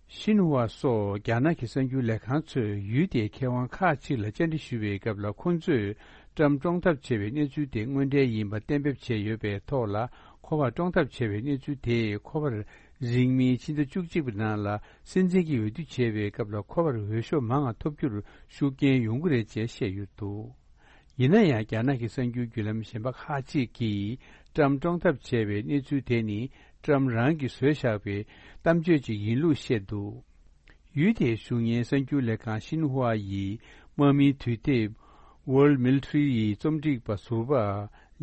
ཤིན་ཧྭ་སོགས་རྒྱ་ནག་གི་གསར་འགྱུར་ལས་ཁང་ཚོས་ཡུལ་དེའི་མཁས་དབང་ཁག་ཅིག་ལ་བཅར་འདྲི་ཞུས་པའི་སྐབས་ལ། ཁོང་ཚོས་ཊམ་བཀྲོངས་ཐབས་བྱས་པའི་གནས་ཚུལ་དེ་དངོས་འབྲེལ་ཡིན་པ་གཏན་འབེབས་བྱས་ཡོད་པའི་ཐོག་ལ། ཁོ་པ་བཀྲོངས་ཐབས་བྱས་པའི་གནས་ཚུལ་དེས་ཁོ་པར་རིང་མིན་ཕྱི་ཟླ་བཅུ་གཅིག་པའི་ནང་ལ་སྲིད་འཛིན་གྱི་འོས་བསྡུ་བྱས་པའི་སྐབས་ལ་ཁོ་པར་འོས་ཤོག་མང་བ་ཐོབ་རྒྱུར་ཤུགས་རྐྱེན་ཡོང་གི་རེད་ཅེས་བཤད་ཡོད་འདུག་ཡིན་ན་ཡང་། རྒྱ་ནག་གི་གསར་འགྱུར་བརྒྱུད་ལམ་གཞན་པ་ཁག་ཅིག་གིས་ཊམ་བཀྲོངས་ཐབས་བྱས་པའི་གནས་ཚུལ་དེ་ནི་ཊམ་རང་གིས་བཟོས་བཞག་པའི་གཏམ་བརྗོད་ཅིག་ཡིན་ལུགས་བཤད་འདུག་ཡུལ་དེའི་གཞུང་གཉེར་གསར་འགྱུར་ལས་ཁང་ཤིན་ཧྭ་ཡིས་དམག་མིའི་དུས་དེབ་World Military ཡི་རྩོམ་སྒྲིག་པ་ཟུར་པ་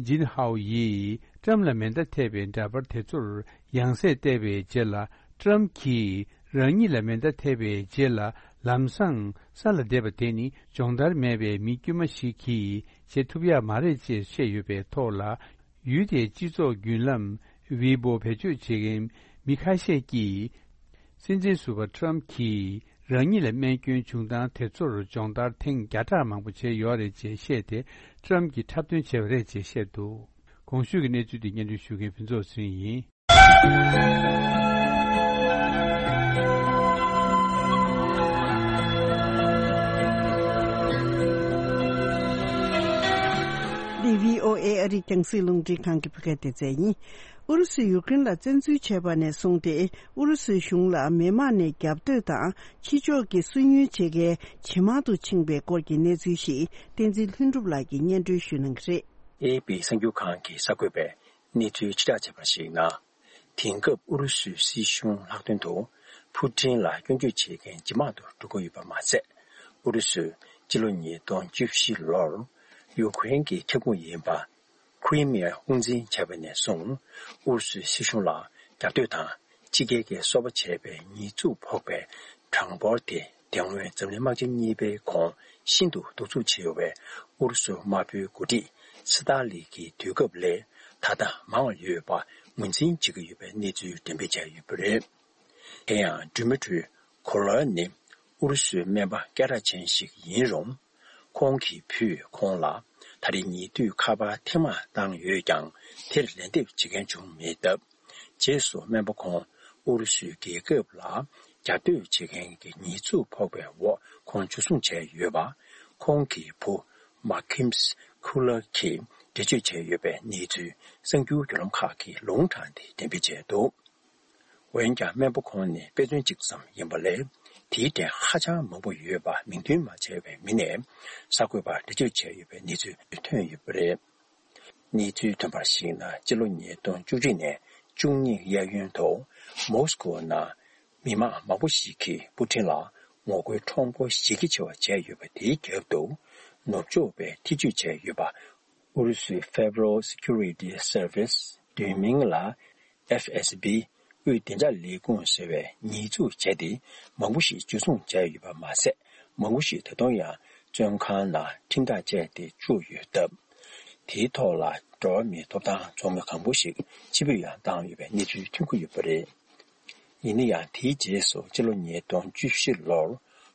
ཇིན་ཧའོ་ཡིས་ཊམ་ལ་མེ་མདའ་ཐེབས་པའི་འདྲ་པར་དེ་ཚོར་ཡང་སེ་བལྟས་པའི་རྗེས་ལ། ཊམ་གྱིས་རང་ཉིད་ལ་མེ་མདའ་ཐེབས་པའི་རྗེས་ལ་ལམ་སང་ས་ལ་བསྡད་པ་དེ་ནི་སྦྱོང་བརྡར་མེད་པའི་མི་དཀྱུས་མ་ཞིག་གིས་བྱེད་ཐུབ་ཡག་མ་རེད་ཅེས་བཤད་ཡོད་པའི་ཐོག་ལ། ཡུལ་དེའི་སྤྱི་ཚོགས་བརྒྱུད་ལམ་ཝི་པོ་བེད་སྤྱོད་བྱེད་མཁན་མི་ཁ་ཤས་ཀྱིས། སྲིད་འཛིན་ཟུར་པ་ཊམ་གྱིས་རང་ཉིད་ལ་རྨས་སྐྱོན་བྱུང་སྟངས་དེ་ཚོར་སྦྱོང་བརྡར་ཐེངས་བརྒྱ་ཕྲག་མང་པོ་བྱས་ཡོད་རེད་ཅེས་བཤད་དེ། ཊམ་གྱིས་འཁྲབ་སྟོན་བྱས་པ་རེད་ཅེས་བཤད་འདུག་གོང་ཞུས་ཀྱི་གནས་ཚུལ་འདི་སྙན་སྒྲོན་ཞུ་མཁན་ཕུན་ཚོགས་ཚེ་རིང་ཡིན། འདི་བྷི་ཨོ་ཨེ་ཨ་རིའི་རྒྱང་སྲིང་རླུང་འཕྲིན་ཁང་གི་བོད་སྐད་སྡེ་ཚན་ཡིན། ཨུ་རུ་སུས་ཡུཀ་རེན་ལ་བཙན་འཛུལ་བྱས་པ་ནས་བཟུང་སྟེ། ཨུ་རུ་སུའི་གཞུང་ལ་མི་དམངས་ནས་རྒྱབ་གཏོད་དང་ཕྱི་ཕྱོགས་ཀྱི་སུན་གཉེར་བྱེད་མཁན་ཇེ་མང་དུ་ཕྱིན་པའི་སྐོར་གྱི་གནས་ཚུལ་ཞིག་བསྟན་འཛིན་ལྷུན་གྲུབ་ལགས་ཀྱིས་སྙན་སྒྲོན་ཞུ་གནང་གི་རེད། ཨེ་ཨེ་པི་གསར་འགྱུར་ཁང་གིས་གསར་འགོད་པས་གནས་ཚུལ་ཕྱིར་བསྒྲགས་བྱས་པར་གཞིགས་ན། དེང་སྐབས་ཨུ་རུ་སུའི་སྲིད་གཞུང་ལྷག་དོན་དུ་ཕུ་ཀྲིན་ལ་སྐྱོན་བརྗོད་བྱེད་མཁན་ཇེ་མང་དུ་འགྲོ་གི་ཡོད་པ་མ་ཟད། ཨུ་རུ་སུས་སྤྱི་ལོ་ཉིས་སྟོང་བཅུ་བཞི་ལོར་ཡུཀ་རེན་གྱི་ཁྱབ་ཁོངས་ཡིན་པ་ཁི་རི་མི་ཡ་དབུ་འཛིན་བྱས་པ་ནས་བཟུང་ཨུ་རུ་སུའི་སྲིད་གཞུང་ལ་རྒྱབ་གཏོད་དང་། ཕྱི་རྒྱལ་གྱིས་སོ་པ་བྱས་པའི་ཉེས་འཛུགས་ཕོག་པའི་གྲངས་འབོར་དེ། དེ་སྔོན་འཛམ་གླིང་དམག་ཆེན་གཉིས་པའི་གོང་ཤིན་ཏུ་གདུག་རྩུབ་ཆེ་བའི་ཨུ་རུ་སུ་དམར་པོའི་འགོ་ཁྲིད་སི་ཏཱ་ལིན་གྱི་དུས་སྐབས་ལས་ད་ལྟ་མང་བ་ཡོད་པ་ངོས་འཛིན་བྱེད་ཀྱི་ཡོད་པའི་གནས་ཚུལ་འགྲེམས་སྤེལ་བྱས་ཡོད་པ་རེད། དེ་ཡང་ཌི་མི་ཊི་རི་ གོ་ལར་ནི་ཨུ་རུ་སུའི་སྨན་པ་སྐད་གྲགས་ཅན་ཞིག་ཡིན་རུང་། ཁོང་གི་བུས་ཁོང་ལ་ད་རེས་ཉེ་དུས་ཁ་པར་ཐེངས་མང་བཏང་ཡོད་ཀྱང་། དེར་ལན་འདེབས་བྱེད་མཁན་བྱུང་མེད་སྟབས། རྗེས་སུ་སྨན་པ་ཁོང་ཨུ་རུ་སུའི་རྒྱལ་ཁབ་ལ་རྒྱབ་གཏོད་བྱེད་མཁན་གྱི་ཉེས་འཛུགས་ཕོག་པའི་འོག་ཁོང་འཇུ་བཟུང་བྱས་ཡོད་པ། ཁོང་གི་བུ་མ་ཁིམ་སི་ཁུ་ལར་གྱིས་འགྲེལ་བརྗོད་བྱས་ཡོད་པའི་གནས་ཚུལ་གསར་འགྱུར་བརྒྱུད་ལམ་ཁག་གིས་ལུང་དྲངས་ཏེ་འགྲེམས་སྤེལ་བྱས་འདུག་འོན་ཀྱང་སྨན་པ་ཁོང་ནི་དཔེ་མཚོན་གཅིག་ཙམ་ཡིན་པ་ལས། དེའི་གྲས་ཧ་ཅང་མང་པོ་ཡོད་པ་མིང་འདོན་མ་བྱས་པའི་མི་ནས་གསར་འགོད་པར་འགྲེལ་བརྗོད་བྱས་ཡོད་པའི་གནས་ཚུལ་ཐོན་ཡོད་པ་རེད། གནས་ཚུལ་ཐོན་པར་གཞིགས་ན། སྤྱི་ལོ་ཉིས་སྟོང་བཅུ་གཅིག་ནས་བཅུ་གཉིས་གཡས་གཡོན་དུ་མོ་སི་ཀོ་ནང་མི་མང་མང་པོ་ཞིག་གིས་པུ་ཊིན་ལ་ངོ་རྒོལ་ཁྲོམ་སྐོར་གཞི་རྒྱ་ཆེ་བ་བྱས་ཡོད་པ། དེའི་རྒྱབ་ཏུ་ནུབ་ཕྱོགས་པས་ཐེ་བྱུས་བྱས་ཡོད་པ། ཨུ་རུ་སུའི་Federal Security Service། བསྡུས་མིང་ལ་ཨེཕ་ཨེས་བི། དབུས་བདེ་འཇགས་ལས་ཁུངས་ཟེར་བས་ཉེས་འཛུགས་བྱས་ཏེ། མང་པོ་ཞིག་འཇུ་བཟུང་བྱས་ཡོད་པ་མ་ཟད། མང་པོ་ཞིག་ད་དུང་ཡང་བཙོན་ཁང་ནང་ཁྲིམས་ཐག་བཅད་དེ་བཅུག་ཡོད་སྟབས། དེའི་ཐོག་ལ་འགྲོ་བ་མིའི་ཐོབ་ཐང་ཚོགས་མི་གང་པོ་ཞིག་ཕྱིར་འབུད་ཡང་བཏང་ཡོད་པའི་གནས་ཚུལ་ཐོན་གྱི་ཡོད་པ་རེད། ཡིན་ན་ཡང་། དེའི་རྗེས་སུ་སྤྱི་ལོ་ཉིས་སྟོང་བཅུ་བཞི་ལོར་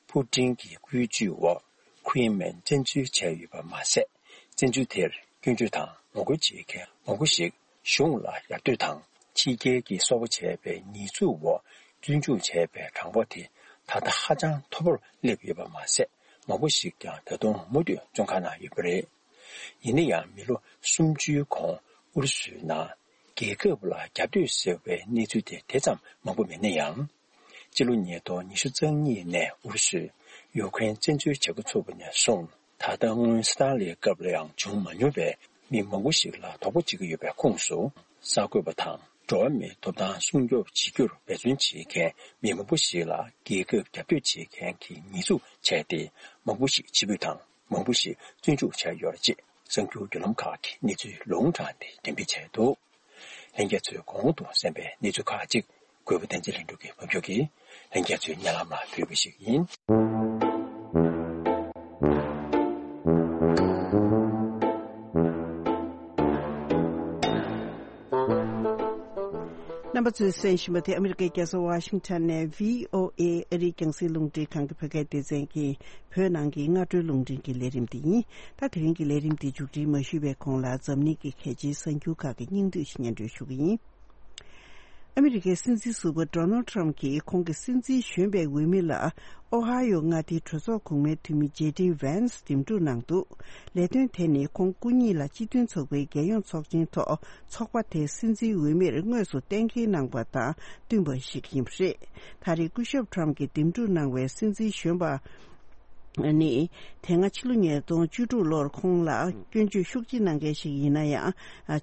པུ་ཊིན་གྱི་བཀོད་ཇུས་འོག་ཁི་རི་མིན་བཙན་འཛུལ་བྱས་ཡོད་པ་མ་ཟད། བཙན་འཛུལ་དེར་སྐྱོན་བརྗོད་དང་ངོ་རྒོལ་བྱེད་མཁན་མང་པོ་ཞིག་གཞུང་ལ་ཡར་ལྟོས་དང་། ཕྱི་རྒྱལ་གྱི་སོ་པ་བྱས་པའི་ཉེས་འཛུགས་འོག་བཙོན་འཇུག་བྱས་པའི་གྲངས་འབོར་དེ་ད་ལྟ་ཧ་ཅང་མཐོ་པོར་སླེབས་ཡོད་པ་མ་ཟད། མང་པོ་ཞིག་ཀྱང་ད་དུང་མུ་མཐུད་བཙོན་ཁང་ནང་ཡོད་པ་རེད། ཡིན་ན་ཡང་། མི་ལོ་སུམ་ཅུའི་གོང་ཨུ་རུ་སུའི་ནང་རྒྱལ་ཁབ་ལ་རྒྱབ་གཏོད་ཟེར་བའི་གནས་ཚུལ་དེ་དེ་ཙམ་མང་པོ་མེད་ན་ཡང་། སྤྱི་ལོ་ཉིས་སྟོང་ཉི་ཤུ་རྩ་གཉིས་ནས་ཨུ་རུ་སུས་ཡུ་ཀེ་རེན་བཙན་འཛུལ་བྱེད་འགོ་ཚུགས་པ་ནས་བཟུང་། ད་ལྟ་སྔོན་སི་ཏཱ་ལིའི་སྐབས་ལ་ཡང་བྱུང་མ་མྱོང་བའི་མི་མང་པོ་ཞིག་ལ་དོགས་པ་བྱེད་ཀྱི་ཡོད་པའི་ཁོངས་སུ། གསར་འགོད་པ་དང་འགྲོ་བ་མིའི་ཐོབ་ཐང་སྲུང་སྐྱོབ་བྱེད་རྒྱུར་འབད་བརྩོན་བྱེད་མཁན་མི་མང་པོ་ཞིག་ལ་རྒྱལ་ཁབ་རྒྱབ་གཏོད་བྱེད་མཁན་གྱི་ཉེས་འཛུགས་བྱས་ཏེ། མང་པོ་ཞིག་ཕྱིར་འབུད་དང་། མང་པོ་ཞིག་བཙོན་འཇུག་བྱས་ཡོད་རེད་ཅེས་གསར་འགྱུར་བརྒྱུད་ལམ་ཁག་གིས་གནས་ཚུལ་ལུང་དྲངས་ཏེ་འགྲེམས་སྤེལ་བྱས་འདུག་ལྷན་རྒྱས་ཚོས་གོང་དུ་གསན་པའི་གནས་ཚུལ་ཁག་ཅིག་གུས་པ་བསྟན་འཛིན་ལྷུན་གྲུབ་ཀྱིས་ཕབ་སྒྱུར་གྱིས་ལྷན་རྒྱས་ཚོའི་སྙན་ལམ་ལ་ཕུལ་བ་ཞིག་ཡིན། རྣམ་པ་ཚོས་གསན་བཞིན་པ་དེ་ཨ་མི་རི་ཀའི་རྒྱལ་ས་ཝ་ཤིང་ཊོན་ནས་བྷི་ཨོ་ཨེ་ཨ་རིའི་རྒྱང་སྲིང་རླུང་འཕྲིན་ཁང་གི་བོད་སྐད་སྡེ་ཚན་གྱི་བོད་ནང་གི་སྔ་དྲོའི་རླུང་འཕྲིན་གྱི་ལས་རིམ་དེ་ཡིན། ད་དེ་རིང་གི་ལས་རིམ་དེ་མཇུག་སྒྲིལ་མ་ཞུས་པའི་གོང་ལ་འཛམ་གླིང་གི་གལ་ཆེའི་གསར་འགྱུར་ཁག་གི་སྙིང་བསྡུས་ཤིག་སྙན་སྒྲོན་ཞུ་གི་ཡིན། ཨ་མི་རི་ཀའི་སྲིད་འཛིན་ཟུར་པ་ཌོ་ནལ་ཊམ་གྱིས་ཁོང་གི་སྲིད་འཛིན་གཞོན་པའི་འོས་མི་ལ་ཨོ་ཧ་ཡོ་མངའ་སྡེའི་གྲོས་ཚོགས་གོང་མའི་འཐུས་མི་ཇེ་ཌི་ཝན་སི་འདེམས་སྒྲུག་གནང་འདུག་ལས་དོན་དེ་ནི་ཁོང་སྐུ་ཉིད་ལ་སྤྱི་མཐུན་ཚོགས་པའི་རྒྱལ་ཡོངས་ཚོགས་ཆེན་ཐོག་ཚོགས་པ་དེའི་སྲིད་འཛིན་འོས་མིར་དངོས་སུ་གཏན་འཁེལ་གནང་པ་དང་བསྟུན་པ་ཞིག་ཡིན་པ་རེད། ད་རེས་སྐུ་ཞབས་ཊམ་གྱིས་འདེམས་སྒྲུག་གནང་བའི་སྲིད་འཛིན་གཞོན་པ་ནི། དེ་སྔ་ཕྱི་ལོ་ཉིས་སྟོང་བཅུ་དྲུག་ལོར་ཁོང་ལ་སྐྱོན་བརྗོད་ཤུགས་ཆེ་གནང་མཁན་ཞིག་ཡིན་ན་ཡང་།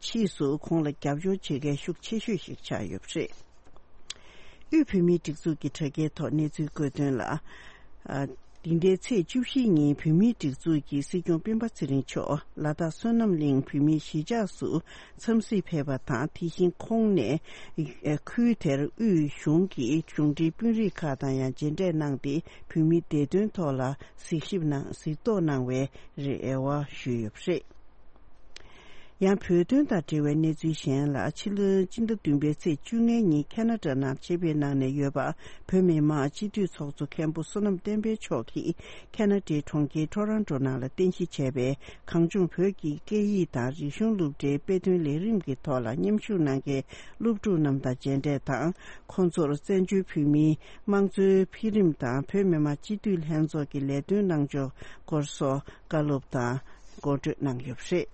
ཕྱིས་སུ་ཁོང་ལ་རྒྱབ་སྐྱོར་བྱེད་མཁན་ཤུགས་ཆེ་ཤོས་ཤིག་ཆགས་ཡོད་པ་རེད། དབུས་བོད་མིའི་སྒྲིག་འཛུགས་ཀྱི་དྲ་རྒྱའི་ཐོག་གནས་ཚུལ་བཀོད་དོན་ལ། འདི་ཟླའི་ཚེས་བཅུ་བཞི་ཉིན་བོད་མིའི་སྒྲིག་འཛུགས་ཀྱི་སྲིད་སྐྱོང་སྤེན་པ་ཚེ་རིང་མཆོག་ལ་དྭགས་བསོད་ནམས་གླིང་བོད་མིའི་གཞིས་ཆགས་སུ་འཚམས་གཟིགས་ཕེབས་པ་དང་། དེ་བཞིན་ཁོང་ནས་ཁུལ་དེར་དབུས་གཞུང་གི་གཞུང་འབྲེལ་དཔོན་རིགས་ཁག་དང་ཡང་མཇལ་འཕྲད་གནང་སྟེ། བོད་མིའི་བདེ་དོན་ཐོག་ལ་གཟིགས་ཞིབ་གནང་གཟིགས་རྟོག་གནང་བའི་རེ་བ་ཞུས་ཡོད་པ་རེད། ཡང་བོད་དོན་དང་འབྲེལ་བའི་གནས་ཚུལ་གཞན་ལ། ཕྱི་ལོའི་སྤྱི་ཟླ་བདུན་པའི་ཚེས་བཅོ་ལྔའི་ཉིན་ཁ་ན་ཌ་ནང་ཆེད་ཕེབས་གནང་ནས་ཡོད་པ། བོད་མི་མང་སྤྱི་འཐུས་ཚོགས་གཙོ་མཁན་པོ་བསོད་ནམས་བསྟན་འཕེལ་མཆོག་གིས་ཁ་ན་ཌའི་གྲོང་ཁྱེར་ཊོ་རོན་ཊོ་ནང་ལ་རྟེན་གཞི་བྱས་པའི་གངས་ལྗོངས་བོད་ཀྱི་སྐད་ཡིག་དང་རིག་གཞུང་སློབ་གྲྭའི་དཔེ་སྟོན་ལས་རིམ་གྱི་ཐོག་ལ་མཉམ་ཞུགས་གནང་མཁན་སློབ་ཕྲུག་རྣམས་དང་མཇལ་འཕྲད་དང་། ཁོང་ཚོར་བཙན་བྱོལ་བོད་མིའི་དམངས་གཙོའི་འཕེལ་རིམ་དང་བོད་མི་མང་སྤྱི་འཐུས་ལྷན་ཚོགས་ཀྱི་ལས་དོན་གནང་ཕྱོགས་སྐོར་སོགས་བཀའ་སློབ་དང་གོ་སྒྲིག་གནང་ཡོད་པ་རེད།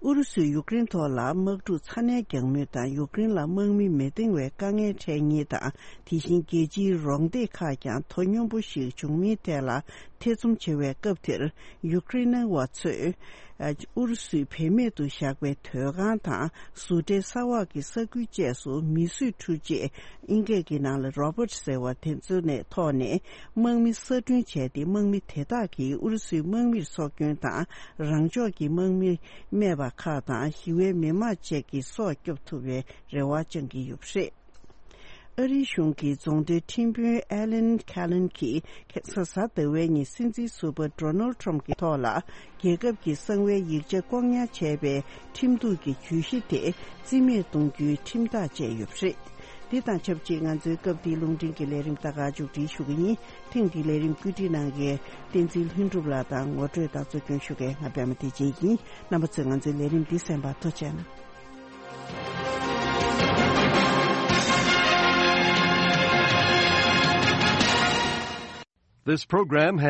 ཨུ་རུ་སུས་ཡུཀ་རེན་ཐོག་ལ་དམག་འཁྲུག་ཚ་ནན་རྒྱག་མུས་དང་། ཡུཀ་རེན་ལ་དམག་མི་མི་འདང་བའི་དཀའ་ངལ་འཕྲད་ཉེན་དང་། དེ་བཞིན་རྒྱལ་སྤྱིའི་རོགས་འདེགས་ཁག་ཀྱང་དོ་སྙོམས་པོ་ཞིག་བྱུང་མིན་ཐད་ལ་ཐེ་ཚོམ་ཆེ་བའི་སྐབས་དེར། ཡུཀ་རེན་བ་ཚོས་ཨུ་རུ་སུས་བེད་མེད་དུ་བཞག་པའི་དོས་ཁང་དང་། གཟུགས་ཁྲེལ་ས་འོག་གི་ས་ཁུལ་བཅས་སུ་མི་གསོད་འཕྲུལ་ཆས། ཨིན་སྐད་ཀྱི་ནང་ལ་རོ་བོཊ་ཟེར་བ་དེ་ཚོ་ནས་ཐོག་ནས་དམག་མི་གསར་སྐྲུན་བྱས་ཏེ། དམག་མི་དེ་དག་གིས་ཨུ་རུ་སུའི་དམག་མིར་སྲོག་སྐྱོན་དང་། རང་ཕྱོགས་ཀྱི་དམག་མི་རྨས་པ་ཁག་དང་། ཞི་བའི་མི་མང་བཅས་ཀྱི་སྲོག་སྐྱོབ་ཐུབ་པའི་རེ་བ་བཅང་གི་ཡོད་པ་རེད། ཨ་རིའི་གཞུང་གི་རྫོང་སྡེའི་ཁྲིམས་དཔོན་ཨེ་ལན་ཁེ་ལན་གྱིས་ཁ་སང་གཟའ་ཟླ་བའི་ཉིན་སྲིད་འཛིན་ཟུར་པ་ཌོ་ནལ་ཁྲམ་གྱི་ཐོག་ལ་རྒྱལ་ཁབ་ཀྱི་གསང་བའི་ཡིག་ཆ་བཀོག་ཉར་བྱས་པའི་ཁྲིམས་གཏུག་གི་བརྗོད་གཞི་དེ་རྩིས་མེད་གཏོང་རྒྱུའི་ཁྲིམས་ཐག་བཅད་ཡོད་པ་རེད། འདི་དང་ཆབས་ཅིག་ང་ཚོའི་སྐབས་འདིའི་རླུང་འཕྲིན་གྱི་ལས་རིམ་ད་ག་མཇུག་སྒྲིལ་ཞུ་གི་ཡིན། ཐེངས་འདིའི་ལས་རིམ་བཀོད་སྒྲིག་གནང་མཁན་བསྟན་འཛིན་ལྷུན་གྲུབ་ལགས་དང་ངོ་སྤྲོད་དང་གཙོ་སྐྱོང་ཞུ་མཁན་ང་པད་མ་བདེ་ཆེན་ཡིན། རྣམ་པ་ཚོས་ང་ཚོའི་ལས་རིམ་འདི་གསན་པར་ཐུགས་རྗེ་གནང་། This program